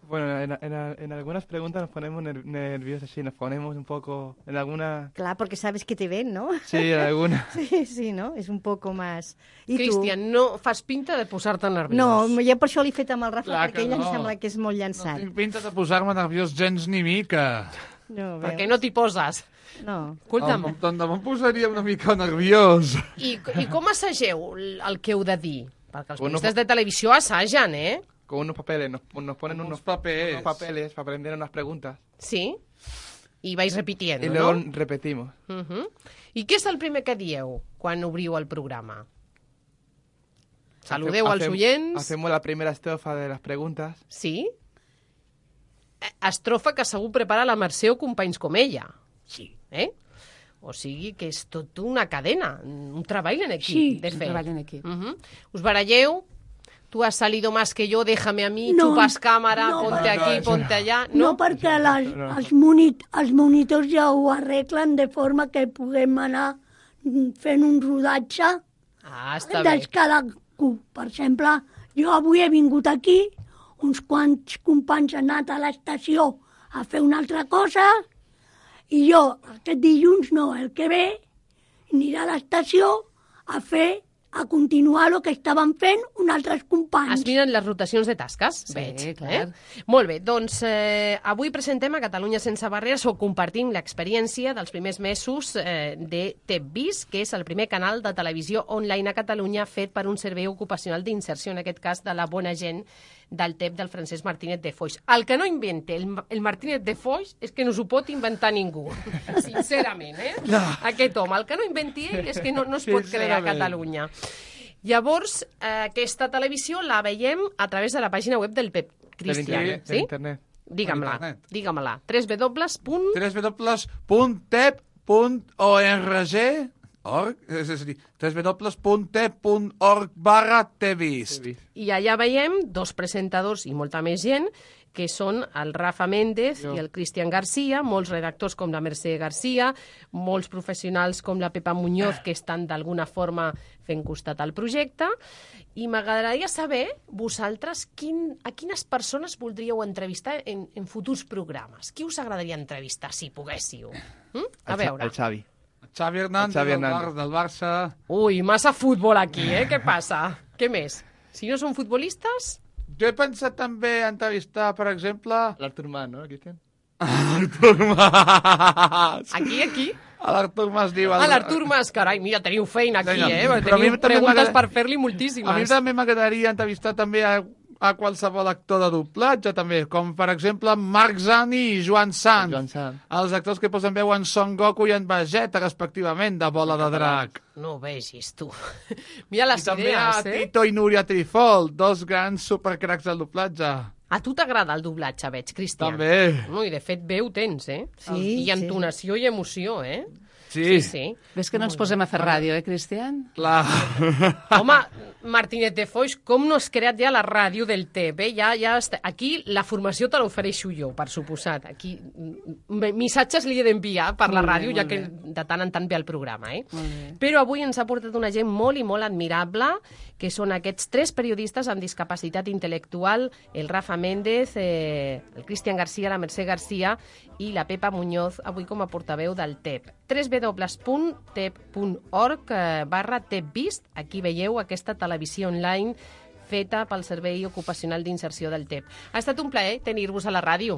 Bueno, en, en, en algunas preguntas nos ponemos ner- nerviosos, sí, nos ponemos un poco... En alguna... Clar, perquè sabes que te ven, no? Sí, en alguna... Sí, sí, no? És un poco más... I Cristian, no fas pinta de posar-te nerviós. No, jo per això l'he fet amb el Rafa, Clar perquè que ell em no. sembla que és molt No llançat. tinc pinta de posar-me nerviós gens ni mica. No, Per què no t'hi poses? No. Escolta'm, Em, tant de em posaria una mica nerviós. i, i com assageu el el que heu de dir? Perquè els Bueno, periodistes de televisió assagen, eh? Con unos papeles, nos, nos ponen Unos unos, papeles. unos papeles para aprender unas preguntas. Sí? I vais repitiendo, y luego no? repetimos. Uh -huh. I què és el primer que dieu quan obriu el programa? Saludeu Hace- als hacem- oients? Hacemos la primera estrofa de las preguntas. Sí? estrofa que segur prepara la Mercè o companys com ella. Sí. Eh? O sigui que és tot una cadena, un treball en equip, Sí, de un fet. treball en equip. Uh -huh. Us baralleu? Tu has salido más que yo, déjame a mí, No, chupas cámara, no, ponte no, aquí, no, ponte allà... No, no perquè les, els, monit, els monitors ja ho arreglen de forma que puguem anar fent un rodatge Ah, està de bé. cadascú. Per exemple, jo avui he vingut aquí, uns quants companys han anat a l'estació a fer una altra cosa, i jo aquest dilluns, no, el que ve, aniré a l'estació a fer, a continuar el que estaven fent uns altres companys. Es miren les rotacions de tasques, Sí, veig. clar. Eh? Molt bé, doncs eh, avui presentem a Catalunya Sense Barreres o compartim l'experiència dels primers mesos eh, de T E P Vis, que és el primer canal de televisió online a Catalunya fet per un servei ocupacional d'inserció, en aquest cas de la bona gent del T E P del Francesc Martínez de Foix. El que no invente el, el Martínez de Foix és que no s'ho pot inventar ningú, sincerament, eh? No. Aquest home, el que no inventi ell és que no, no es pot crear a Sincerament. Catalunya. Llavors, eh, aquesta televisió la veiem a través de la pàgina web del Pep Cristian, De sí? internet. Digue-me-la, internet. digue-me-la. w w w punt w w w punt tep punt org org, és a dir, w w w punt tep punt org barra tevis. I allà veiem dos presentadors i molta més gent, que són el Rafa Méndez Jo. i el Cristian Garcia, molts redactors com la Mercè Garcia, molts professionals com la Pepa Muñoz, que estan d'alguna forma fent costat al projecte, i m'agradaria saber, vosaltres, quin, a quines persones voldríeu entrevistar en, en futurs programes? Qui us agradaria entrevistar, si poguéssiu? Mm? A veure. El Xavi. Xavi Hernández, Xavi del, Hernández. Bar, del Barça. Ui, massa futbol aquí, eh? Què passa? Què més? Si no són futbolistes... Jo he pensat també entrevistar, per exemple... L'Artur Mas, no, Cristian? Artur Mas. Aquí, aquí? L'Artur Mas diu... Ah, l'Artur Mas, carai, mira, teniu feina aquí, Vinga, eh? però a mi Teniu també preguntes m'agrada- per fer-li A mi moltíssimes. també m'agradaria entrevistar també a, a qualsevol actor de doblatge, també, com per exemple Marc Zani i Joan Sant, Joan Sant. els actors que posen veu en Son Goku i en Vegeta, respectivament, de Bola de Drac. No ho vegis, tu. Mira les I també a idees, eh? Tito i Núria Trifol, dos grans supercracs del doblatge. A tu t'agrada el doblatge, veig, Cristian. També. No, i de fet veu tens, eh? Sí, I entonació i emoció, eh? Sí. Sí, sí. Ves que no ens posem a fer ràdio, eh, Cristian? Clar. Home, Martínez de Foix, com no has creat ja la ràdio del T E P? Ja, ja està... Aquí la formació te l'ofereixo jo, per suposat. Aquí mm, missatges li he d'enviar per la Molt bé, ràdio, ja molt que bé. de tant en tant ve el programa, eh? Molt bé. Però avui ens ha portat una gent molt i molt admirable, que són aquests tres periodistes amb discapacitat intel·lectual, el Rafa Méndez, eh, el Cristian Garcia, la Mercè Garcia i la Pepa Muñoz, avui com a portaveu del T E P. w w w punt tep punt org barra tepvist. Aquí veieu aquesta televisió online feta pel Servei Ocupacional d'Inserció del T E P. Ha estat un plaer tenir-vos a la ràdio.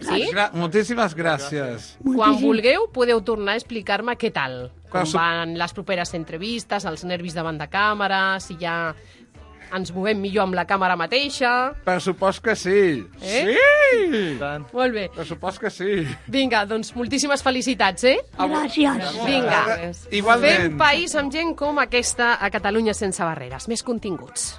Sí? Gra moltíssimes gràcies. Quan vulgueu podeu tornar a explicar-me què tal, com Clar, su- van les properes entrevistes, els nervis davant de càmera, si ja ens movem millor amb la càmera mateixa... Per supost que sí. Eh? Sí! Tant. Molt bé. Per supost que sí. Vinga, doncs moltíssimes felicitats, eh? Gràcies. Vinga. Igualment. Fem país amb gent com aquesta a Catalunya Sense Barreres. Més continguts.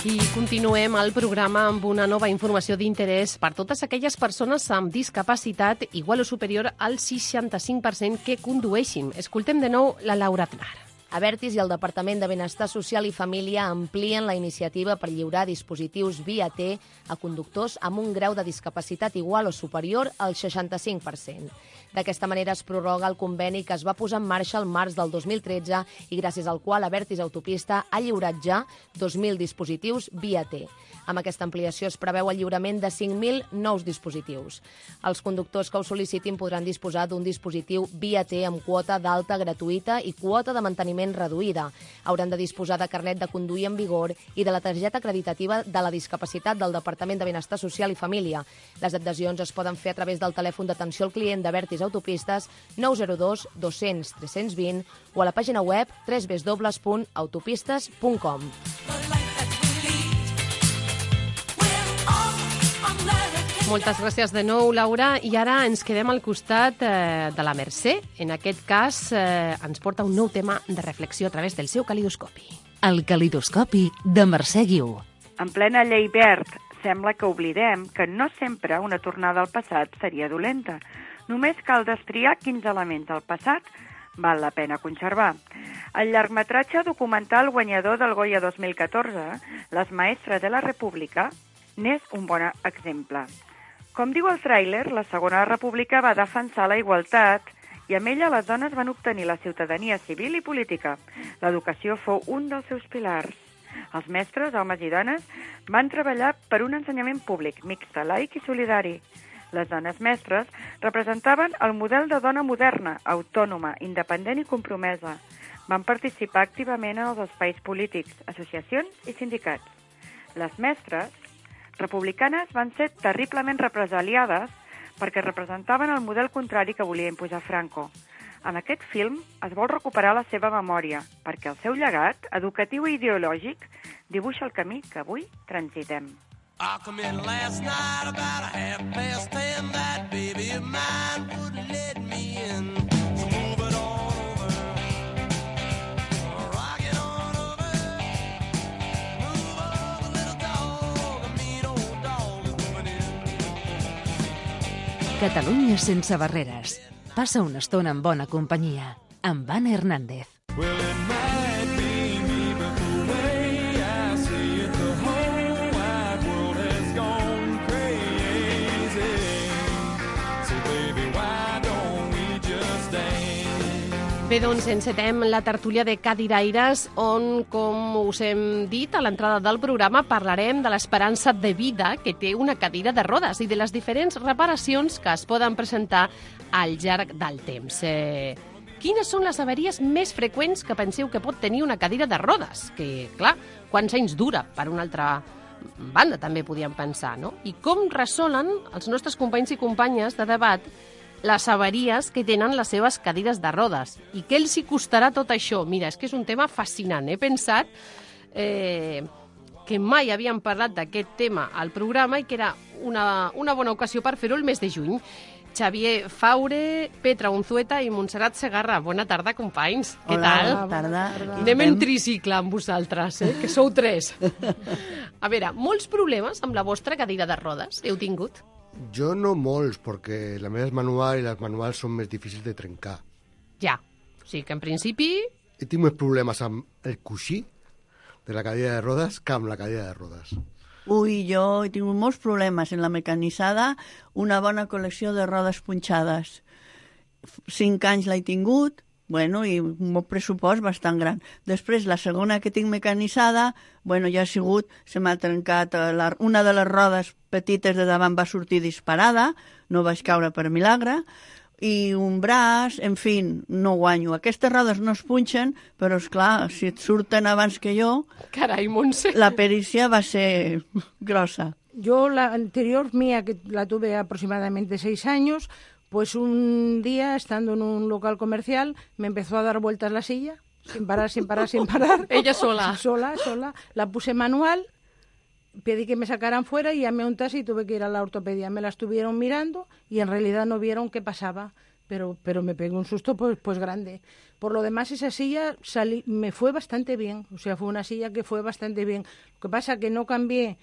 I continuem el programa amb una nova informació d'interès per totes aquelles persones amb discapacitat igual o superior al seixanta-cinc per cent que condueixin. Escoltem de nou la Laura Aznar. Avertis i el Departament de Benestar Social i Família amplien la iniciativa per lliurar dispositius via T a conductors amb un grau de discapacitat igual o superior al seixanta-cinc per cent. D'aquesta manera es prorroga el conveni que es va posar en marxa el març del dos mil tretze i gràcies al qual Avertis Autopista ha lliurat ja dos mil dispositius via T. Amb aquesta ampliació es preveu el lliurament de cinc mil nous dispositius. Els conductors que ho sol·licitin podran disposar d'un dispositiu via T amb quota d'alta gratuïta i quota de manteniment reduïda. Hauran de disposar de carnet de conduir en vigor i de la targeta acreditativa de la discapacitat del Departament de Benestar Social i Família. Les adhesions es poden fer a través del telèfon d'atenció al client d'Avertis Autopistes nou zero dos dos cents tres cents vint o a la pàgina web w w w punt autopistes punt com. The life that we lead, we're all American. Moltes gràcies de nou, Laura. I ara ens quedem al costat eh, de la Mercè. En aquest cas, eh, ens porta un nou tema de reflexió a través del seu calidoscopi. El calidoscopi de Mercè Guiu. En plena llei verd, sembla que oblidem que no sempre una tornada al passat seria dolenta. Només cal destriar quins elements del passat val la pena conservar. El llargmetratge documental guanyador del Goya dos mil catorze, Les maestres de la República, n'és un bon exemple. Com diu el tràiler, la Segona República va defensar la igualtat i amb ella les dones van obtenir la ciutadania civil i política. L'educació fou un dels seus pilars. Els mestres, homes i dones, van treballar per un ensenyament públic, mixte, laic i solidari. Les dones mestres representaven el model de dona moderna, autònoma, independent i compromesa. Van participar activament en els espais polítics, associacions i sindicats. Les mestres republicanes van ser terriblement represaliades perquè representaven el model contrari que volia imposar Franco. En aquest film es vol recuperar la seva memòria, perquè el seu llegat, educatiu i ideològic, dibuixa el camí que avui transitem. I come in last night about a half past ten. That baby of mine wouldn't let me in. So move it on over. Rock it on over. Move over, little dog. A mean old dog is moving in. Catalunya sense barreres. Passa una estona en bona companyia. Amb Anna Hernández. Well, it might be me, but the way I see it, the whole wide world has gone crazy. So baby, why don't we just dance? Bé, doncs encetem la tertúlia de Cadiraires, on, com us hem dit a l'entrada del programa, parlarem de l'esperança de vida que té una cadira de rodes i de les diferents reparacions que es poden presentar al llarg del temps. Eh, quines són les avaries més freqüents que penseu que pot tenir una cadira de rodes? Que, clar, quants anys dura, per una altra banda, també podíem pensar, no? I com resolen els nostres companys i companyes de debat les avaries que tenen les seves cadires de rodes? I què els hi costarà tot això? Mira, és que és un tema fascinant. He pensat eh, que mai havíem parlat d'aquest tema al programa i que era una, una bona ocasió per fer-ho el mes de juny. Xavier Faure, Petra Unzueta i Montserrat Segarra. Bona tarda, companys. Què Hola, tal? bona tarda. Anem en tricicle amb vosaltres, eh? Que sou tres. A veure, molts problemes amb la vostra cadira de rodes heu tingut? Jo no molts, perquè la meva és manual i les manuals són més difícils de trencar. Ja. O sigui que, en principi... He tingut més problemes amb el coixí de la cadira de rodes que amb la cadira de rodes. Ui, jo he tingut molts problemes en la mecanissada, una bona col·lecció de rodes punxades. Cinc anys l'he tingut, bueno, i un bon pressupost bastant gran. Després, la segona que tinc mecanitzada, bueno, ja ha sigut, se m'ha trencat, la, una de les rodes petites de davant va sortir disparada, no vaig caure per milagre, i un braç, en fi, no guanyo. Aquestes rodes no es punxen, però, esclar, si et surten abans que jo... Carai, Montse! La perícia va ser grossa. Yo, la anterior mía, que la tuve aproximadamente seis años, pues un día, estando en un local comercial, me empezó a dar vueltas la silla, sin parar, sin parar, sin parar. Ella sola. Sola, sola. La puse manual, pedí que me sacaran fuera y llamé a un taxi y tuve que ir a la ortopedia. Me la estuvieron mirando y en realidad no vieron qué pasaba, pero, pero me pegué un susto pues, pues grande. Por lo demás, esa silla salí, me fue bastante bien, o sea, fue una silla que fue bastante bien. Lo que pasa que no cambié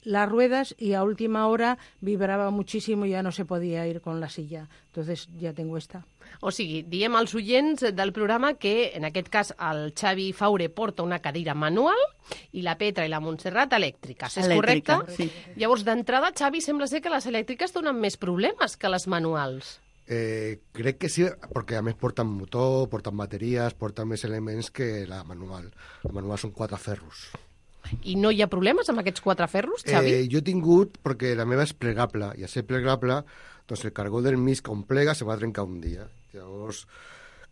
las ruedas y a última hora vibraba muchísimo y ya no se podía ir con la silla. Entonces ya tengo esta. O sigui, diem als oients del programa que, en aquest cas, el Xavi Faure porta una cadira manual i la Petra i la Montserrat elèctriques. És Elèctrica, correcte? sí. Llavors, d'entrada, Xavi, sembla ser que les elèctriques donen més problemes que les manuals. Eh, crec que sí, perquè a més porten motor, porten bateries, porten més elements que la manual. La manual són quatre ferros. I no hi ha problemes amb aquests quatre ferros, Xavi? Eh, jo he tingut, perquè la meva és plegable, i a ser plegable, doncs el cargó del mig com plega se va trencar un dia. Llavors,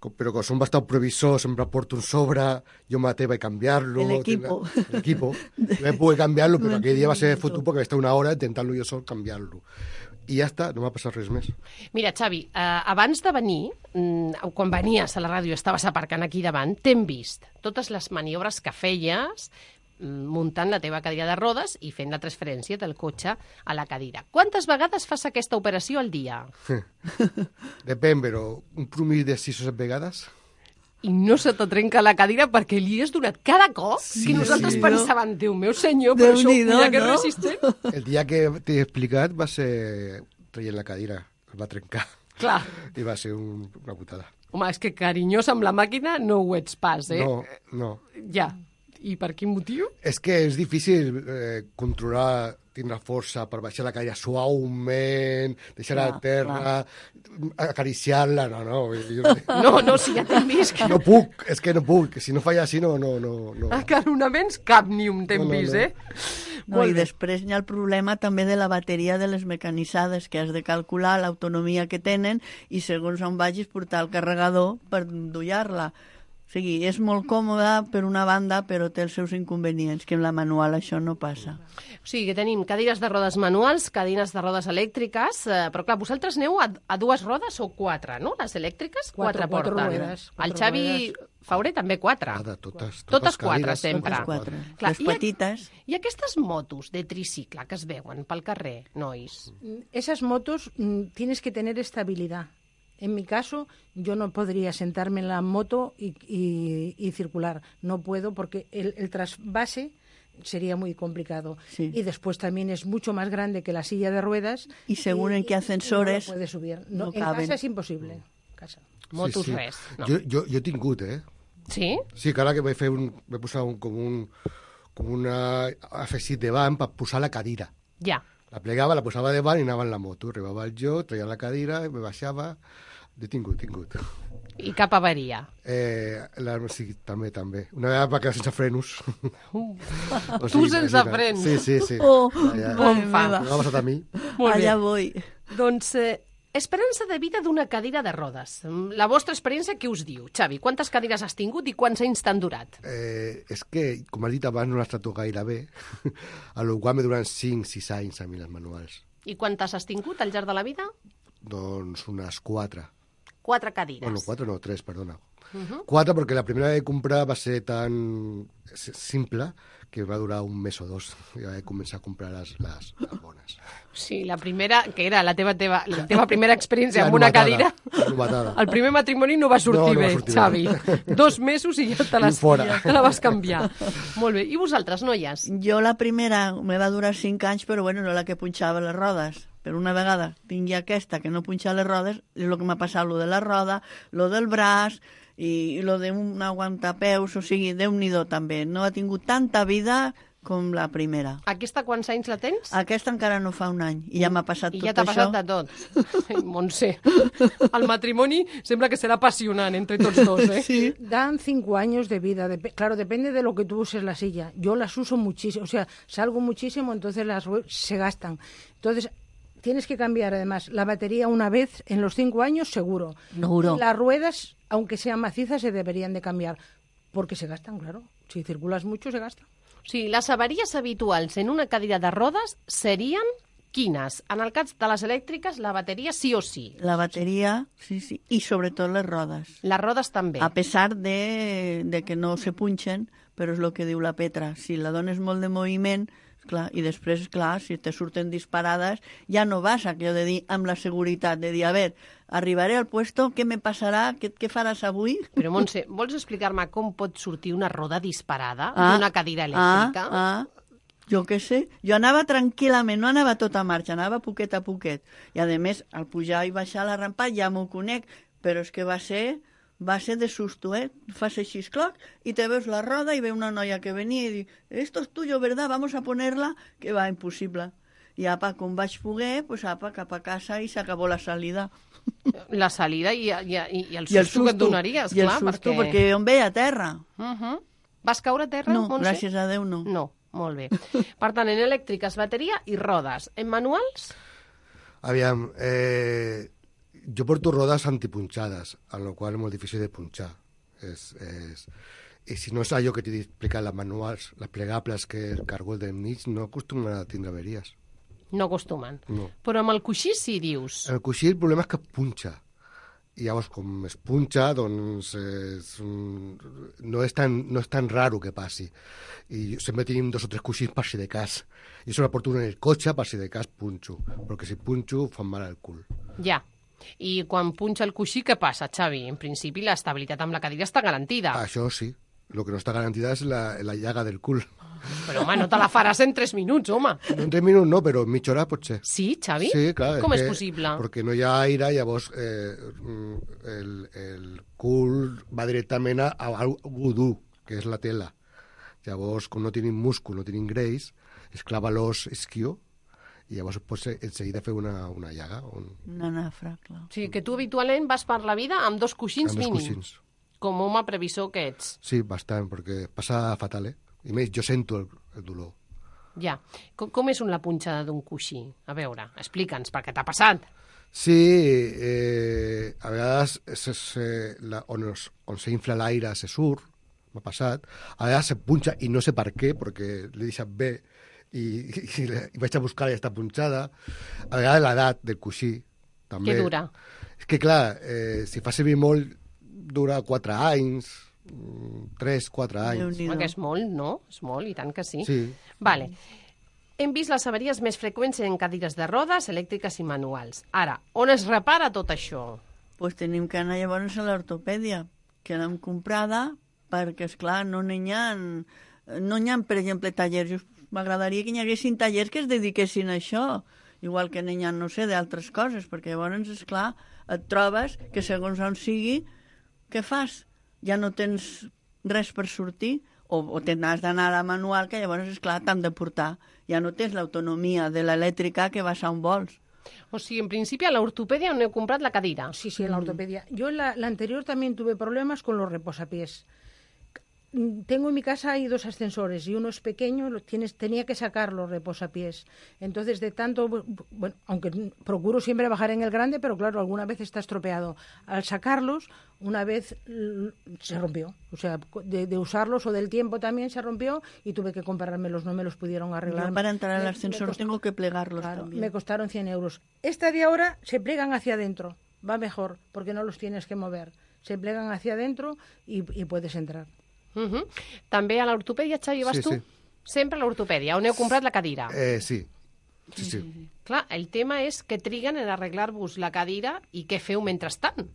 com, però com som bastant previsor, sempre porto un sobre, jo mateix vaig canviar-lo. El equipo. El equipo. Jo vaig poder canviar-lo, però aquell dia va ser fotut perquè vaig estar una hora intentant-lo jo sol canviar-lo. I ja està, no m'ha passat res més. Mira, Xavi, eh, abans de venir, mm, quan venies a la ràdio, estaves aparcant aquí davant, t'hem vist totes les maniobres que feies muntant la teva cadira de rodes i fent la transferència del cotxe a la cadira. Quantes vegades fas aquesta operació al dia? Depèn, però un promís de sis o set vegades. I no se te trenca la cadira perquè li has donat cada cop Sí, que nosaltres sí. pensàvem, Déu meu senyor, però això, Déu-n'hi-do, mira que no? resistent. El dia que t'he explicat va ser traient la cadira, es va trencar. Clar. I va ser un, una putada. Home, és que carinyós amb la màquina no ho ets pas, eh? No, no. Ja. I per quin motiu? És que és difícil eh, controlar, tindre força per baixar la cadira suaument, deixar-la a Clar, terra, acariciar-la, no, no. Jo, No, no, si ja t'hem vist que... No puc, és que no puc, si no falla així no, no, no. no. Acaronaments cap ni un t'hem No, no, vist, no. eh? No, Molt I bé. després hi ha el problema també de la bateria de les mecanitzades, que has de calcular l'autonomia que tenen i segons on vagis portar el carregador per endollar-la. O sigui, és molt còmoda per una banda, però té els seus inconvenients, que en la manual això no passa. O sigui, que tenim cadires de rodes manuals, cadires de rodes elèctriques, eh, però clar, vosaltres aneu a, a dues rodes o quatre, no? Les elèctriques, Quatre, quatre, quatre porten. ruedes, El quatre Xavi ruedes. Fauré també quatre. Totes, totes, Totes quatre, cadires, sempre. Totes quatre. Clar, Les i a- petites. I aquestes motos de tricicle que es veuen pel carrer, nois? Esas motos mm, tienes que tener estabilidad. En mi caso, yo no podría sentarme en la moto y, y- y circular. No puedo porque el, el trasvase sería muy complicado. Sí. Y después también es mucho más grande que la silla de ruedas. Y según en qué ascensores no lo puedes subir. No, no en caben. casa es imposible. En casa. Motos res, no. Jo, jo, jo he tingut, eh? Sí? Sí, que ara que vaig fer un... vaig posar un, com un... com una afegit davant per posar la cadira. Ja. La plegava, la posava davant i anava en la moto. Arribava el jo, treia la cadira, me baixava... He tingut, tingut. I cap avaria. Eh, la, sí, també, també. Una vegada va quedar sense frenos. Uh. O Tu sigui, sense imagina't. frens. Sí, sí, sí. Oh, ja, bon fa. M'ha passat a mi. Molt bé. Allà voy. Doncs, eh, esperança de vida d'una cadira de rodes. La vostra experiència què us diu? Xavi, quantes cadires has tingut i quants anys t'han durat? Eh, és que, com has dit abans, no les trato gaire bé. A lo qual me duran cinc sis anys a mi les manuals. I quantes has tingut al llarg de la vida? Doncs unes quatre. Quatre cadires. Bueno, quatre no, tres, perdona. Uh -huh. Quatre, perquè la primera que vaig comprar va ser tan s- simple que va durar un mes o dos. I vaig començar a comprar les, les, les bones. Sí, la primera, que era la teva, teva, la teva primera experiència La amb una novatada, cadira. la novatada. El primer matrimoni no va sortir No, no va bé, sortir Xavi. bé. Dos mesos i ja te, les, I fora. te la vas canviar. Molt bé. I vosaltres, noies? Jo la primera me va durar cinc anys, però bueno, no la que punxava les rodes. Però una vegada tingui aquesta que no punxa les rodes, és el que m'ha passat, lo de la roda, lo del braç i, i lo d'un aguantapeus, o sigui, Déu-n'hi-do també. No ha tingut tanta vida com la primera. Aquesta quants anys la tens? Aquesta encara no fa un any, i ja m'ha passat I tot ja t'ha això. passat de tot. Ai, Montse, el matrimoni sembla que serà apassionant entre tots dos, eh? Sí. Dan cinco años de vida. Dep- claro, depende de lo que tú uses la silla. Yo las uso muchísimo, o sea, salgo muchísimo, entonces las rue- se gastan. Entonces, tienes que cambiar además la batería una vez en los cinco años, seguro. Seguro. Y las ruedas, aunque sean macizas, se deberían de cambiar, porque se gastan, claro. Si circulas mucho, se gastan. O sigui, les avaries habituals en una cadira de rodes serien quines? En el cas de les elèctriques, la bateria sí o sí. La bateria, sí, sí, i sobretot les rodes. Les rodes també. A pesar de, de que no se punxen, però és el que diu la Petra. Si la dones molt de moviment, clar, i després, clar, si te surten disparades, ja no vas a aquello de dir amb la seguretat, de dir, a veure, arribaré al puesto, què me passarà, què, què faràs avui? Però, Montse, vols explicar-me com pot sortir una roda disparada Ah, d'una cadira elèctrica? Ah, ah, jo què sé. Jo anava tranquil·lament, no anava a tota marxa, anava poquet a poquet. I, a més, al pujar i baixar la rampa ja m'ho conec, però és que va ser... va ser de susto, eh? Fas així, cloc, i te veus la roda i ve una noia que venia i diu, esto es tuyo, ¿verdad? Vamos a ponerla, que va, impossible. I apa, com vaig poder, pues apa, cap a casa i s'acabó la salida. La salida i, i, i, i el I el susto que et susto, donaries, i el clar, susto, perquè... perquè jo em veia a terra. Uh -huh. Vas caure a terra, No, Montse? gràcies a Déu no. No, molt bé. Per tant, en elèctriques, bateria i rodes. En manuals? Aviam, eh, jo porto rodes antipunxades, a lo qual és molt difícil de punxar. És, és... I si no és allò que t'he explicat, les manuals, les plegables, que el cargol del mig, no acostumen a tindre averies. No acostumen. No. Però amb el coixí sí, dius. El coixí el problema és que punxa. i llavors com es punxa, doncs és, un- no, és tan, no és tan raro que passi. I sempre tenim dos o tres coixins per si de cas. I això la porto en el cotxe per si de cas punxo, perquè si punxo fan mal al cul. Ja. I quan punxa el coixí, què passa, Xavi? En principi, l'estabilitat amb la cadira està garantida. Això sí, el que no està garantida és la, la llaga del cul. Però, home, no te la faràs en tres minuts, home. En tres minuts no, però en mitja hora pot ser. Sí, Xavi? Sí, clar. Com és que- possible? Perquè no hi ha aire, llavors eh, el, el cul va directament a, a algú dur, que és la tela. Llavors, com no tenim múscul, no tenim greix, es clava l'os isquió i llavors pots en seguida fer una, una llaga. Un... Una nafra, clar. O sigui, que tu habitualment vas per la vida amb dos coixins Amb dos mínim. coixins. Com home previsor que ets. Sí, bastant, perquè passa fatal, eh? I més, jo sento el, el dolor. Ja. Com, com és la punxada d'un coixí? A veure, explica'ns, perquè t'ha passat. Sí, eh, a vegades se, se, la, on, es, on s'infla l'aire se surt, m'ha passat. A vegades se punxa i no sé per què, perquè l'he deixat bé i, i, i, i vaig a buscar i ja està punxada. A vegades l'edat del coixí, també. Què dura? És que, clar, eh, si fa servir molt, dura quatre anys, tres, quatre anys. Home, que és molt, no? És molt, i tant que sí. Sí. Vale. Hem vist les avaries més freqüents en cadires de rodes, elèctriques i manuals. Ara, on es repara tot això? Pues tenim que anar llavors a l'ortopèdia, que l'hem comprada, perquè, esclar, no n'hi ha, no n'hi ha, per exemple, tallers. M'agradaria que hi haguessin tallers que es dediquessin a això, igual que n'hi ha, no sé, d'altres coses, perquè llavors, esclar, et trobes que segons on sigui, què fas? Ja no tens res per sortir, o, o te n'has d'anar a la manual, que llavors, esclar, t'han de portar. Ja no tens l'autonomia de l'elèctrica que vas a on vols. O sigui, en principi a l'ortopèdia on heu comprat la cadira. Sí, sí, en la ortopedia. Yo en la, la anterior también tuve problemas con los reposapiés. Tengo en mi casa hay dos ascensores y uno es pequeño, lo tienes, tenía que sacar los reposapiés. Entonces, de tanto, bueno, aunque procuro siempre bajar en el grande, pero claro, alguna vez está estropeado. Al sacarlos, una vez l- se rompió. O sea, de, de usarlos o del tiempo también se rompió y tuve que comprármelos, no me los pudieron arreglar. Yo para entrar al Me- ascensor me costó- tengo que plegarlos Claro, también. me costaron cien euros. Esta de ahora se plegan hacia adentro. Va mejor, porque no los tienes que mover. Se plegan hacia adentro y, y puedes entrar. Uh -huh. També a l'ortopèdia, Xavi, vas Sí, tu? sí. Sempre a l'ortopèdia, on heu comprat la cadira. Eh, sí, sí, sí. Clar, el tema és que triguen en arreglar-vos la cadira i què feu mentrestant.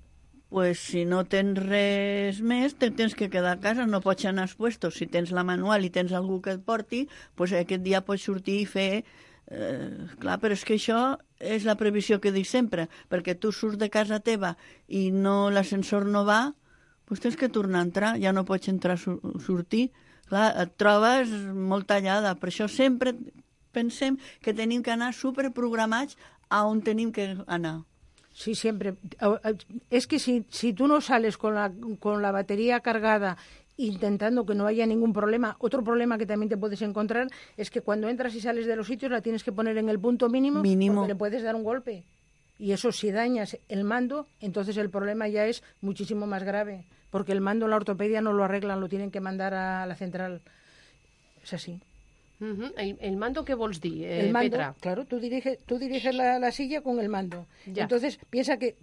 Pues si no tens res més, te tens que quedar a casa, no pots anar als puestos. Si tens la manual i tens algú que et porti, pues aquest dia pots sortir i fer... Eh, clar, però és que això és la previsió que dic sempre, perquè tu surts de casa teva i no l'ascensor no va, pues tens que tornar a entrar, ja no pots entrar a sortir. Clar, et trobes molt tallada. Per això sempre pensem que tenim que anar superprogramats a on tenim que anar. Sí, siempre. Es que si, si tú no sales con la, con la batería cargada intentando que no haya ningún problema, otro problema que también te puedes encontrar es que cuando entras y sales de los sitios la tienes que poner en el punto mínimo, Mínimo. porque le puedes dar un golpe. Y eso, si dañas el mando, entonces el problema ya es muchísimo más grave, porque el mando en la ortopedia no lo arreglan, lo tienen que mandar a la central. Es así. Uh -huh. el, el mando, què vols dir, eh, El mando, Petra? claro, tú diriges, tú diriges la, la silla con el mando. Ya. Entonces, piensa que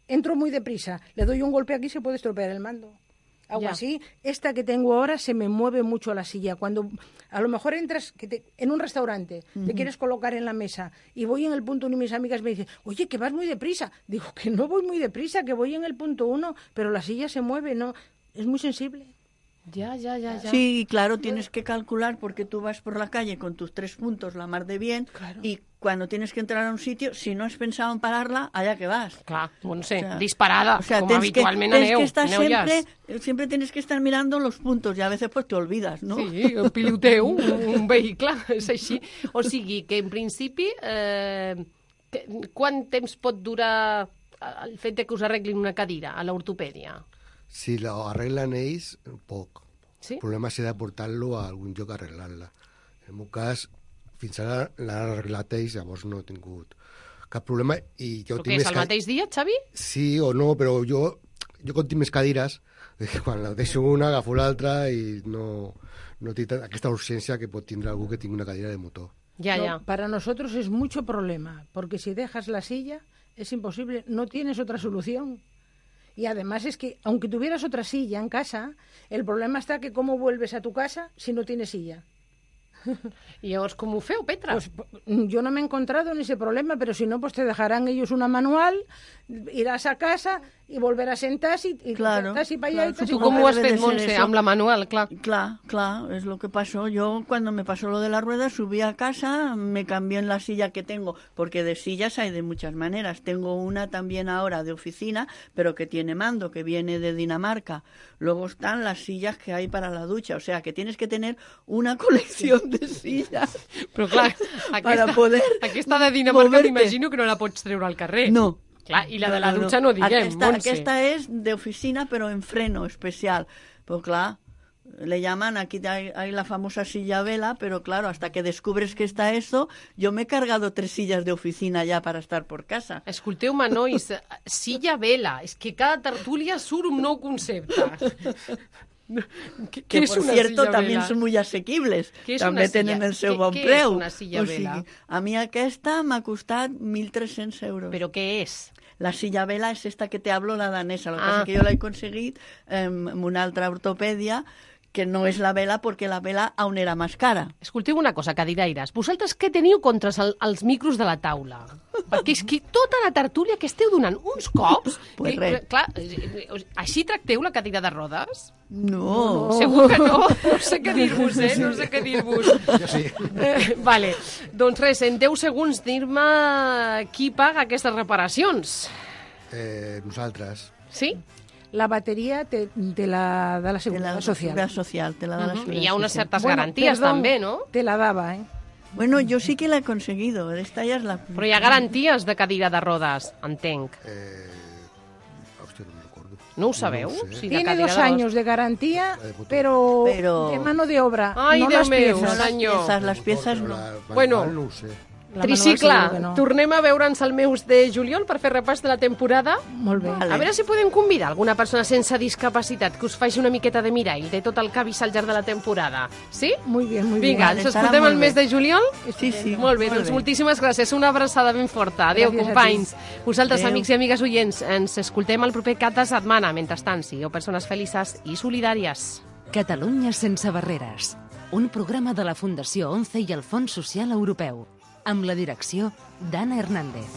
entro muy deprisa, le doy un golpe aquí, se puede estropear el mando. Algo Ya. así. Esta que tengo ahora se me mueve mucho la silla. Cuando a lo mejor entras que te- en un restaurante, te Ujú. quieres colocar en la mesa y voy en el punto uno y mis amigas me dicen, oye, que vas muy deprisa. Digo, que no voy muy deprisa, que voy en el punto uno, pero la silla se mueve, no, es muy sensible. Ya, ya, ya, ya. Sí, claro, tienes que calcular porque tú vas por la calle con tus tres puntos, la mar de bien, y cuando tienes que entrar a un sitio, si no has pensado en pararla, allá que vas. Clar, no sé, disparada, o sea, com tens habitualment que, tens aneu, que estar aneu ja. siempre, siempre tienes que estar mirando los puntos y a veces pues te olvidas, ¿no? Sí, el piloteu, un, un vehicle, és així. O sigui, que en principi, eh, que, quant temps pot durar el fet de que us arreglin una cadira a l'ortopèdia? Si lo arreglan ells, poc. Sí? El problema serà portar-lo a algun lloc a arreglar-la. En el meu cas, fins ara l'han arreglat ells, llavors no he tingut cap problema. I jo Però tinc què és, més el ca- mateix dia, Xavi? Sí o no, però jo, jo com tinc més cadires, quan la deixo una, agafo l'altra i no, no tinc tan- aquesta urgència que pot tindre algú que tingui una cadira de motor. Ya, No, ya. Para nosotros es mucho problema, porque si dejas la silla es imposible, no tienes otra solución. Y además es que, aunque tuvieras otra silla en casa, el problema está que cómo vuelves a tu casa si no tienes silla. I llavors com ho feu, Petra? Pues, yo no me he encontrado en ese problema, pero si no, pues te dejarán ellos una manual, irás a casa y volverás a sentar y, y Claro, casi para allá claro, y casi Tu para com ho has debe de fet, ser Montse, eso. amb la manual, clar? Claro, claro, es lo que pasó. Yo cuando me pasó lo de la rueda subí a casa, me cambié en la silla que tengo, porque de sillas hay de muchas maneras. Tengo una también ahora de oficina, pero que tiene mando, que viene de Dinamarca. Luego están las sillas que hay para la ducha, o sea que tienes que tener una colección de sillas. Però clar, para aquesta, poder aquesta de Dinamarca moverte. m'imagino que no la pots treure al carrer. No. Clar, i la de la dutxa no, diguem, Aquesta, Montse. aquesta es de oficina, pero en freno especial. Pues claro, le llaman, aquí hay, hay la famosa silla vela, pero claro, hasta que descubres que está eso, yo me he cargado tres sillas de oficina ya para estar por casa. Escolteu-me, nois, silla vela. És que cada tertúlia surt un nou concepte. ¿Qué, Que qué es por una cierto silla también vela? son muy asequibles. Què és També una silla? tenen el seu Què- bon què és preu. una silla O sigui, vela? a mi aquesta m'ha costat mil tres-cents euros. ¿Pero qué es? La silla vela es esta que te hablo, la danesa. Lo que Ah. pasa es que yo la he conseguido eh, en una altra ortopedia, que no és la vela, perquè la vela aún era més cara. Escolteu una cosa, cadiraires. Vosaltres què teniu contra el, els micros de la taula? Perquè és que tota la tertúlia que esteu donant uns cops... Pues eh, res. clar, eh, eh, així tracteu la cadira de rodes? No. Segur que no? No sé què dir-vos, eh? No sé què dir-vos. Jo sí. Eh, vale. Doncs res, en deu segons dir-me qui paga aquestes reparacions. Eh, nosaltres. Sí? La batería te- de la, de la seguridad la social. Seguridad social, te la da la Ujú. Seguridad Hi ha unes Social. certes garanties, perdón, també, no? Te la daba, ¿eh? Bueno, yo sí que la he conseguido. Esta ya es la... Però hi ha garanties de cadira de rodes, entenc. Eh, hòstia, no me'n recordo. No ho sabeu? No ho sé. Sí, de Tiene cadira dos de rodes. años de garantía, de botó. pero, Pero- de mano de obra, Ai, no Déu las meu, piezas. senyor. Las piezas, las piezas Però no. la manual Bueno. no ho sé. La Tricicle, manual seguro que no. tornem a veure'ns el mes de juliol per fer repàs de la temporada. Molt bé. A veure si podem convidar alguna persona sense discapacitat que us faci una miqueta de mirall de tot el que ha vist al llarg de la temporada. Sí? Muy bien, muy bien. Vinga, Vale, ens estarà escoltem molt el mes bé. de juliol? Sí, sí. Molt bé, doncs moltíssimes gràcies. Una abraçada ben forta. Adéu, Gràcies a companys. Vosaltres, Adéu. amics i amigues oients, ens escoltem el proper cap de setmana. Mentrestant, sigueu persones felices i solidàries. Catalunya sense barreres. Un programa de la Fundació ONCE i el Fons Social Europeu. Amb la direcció d'Anna Hernández.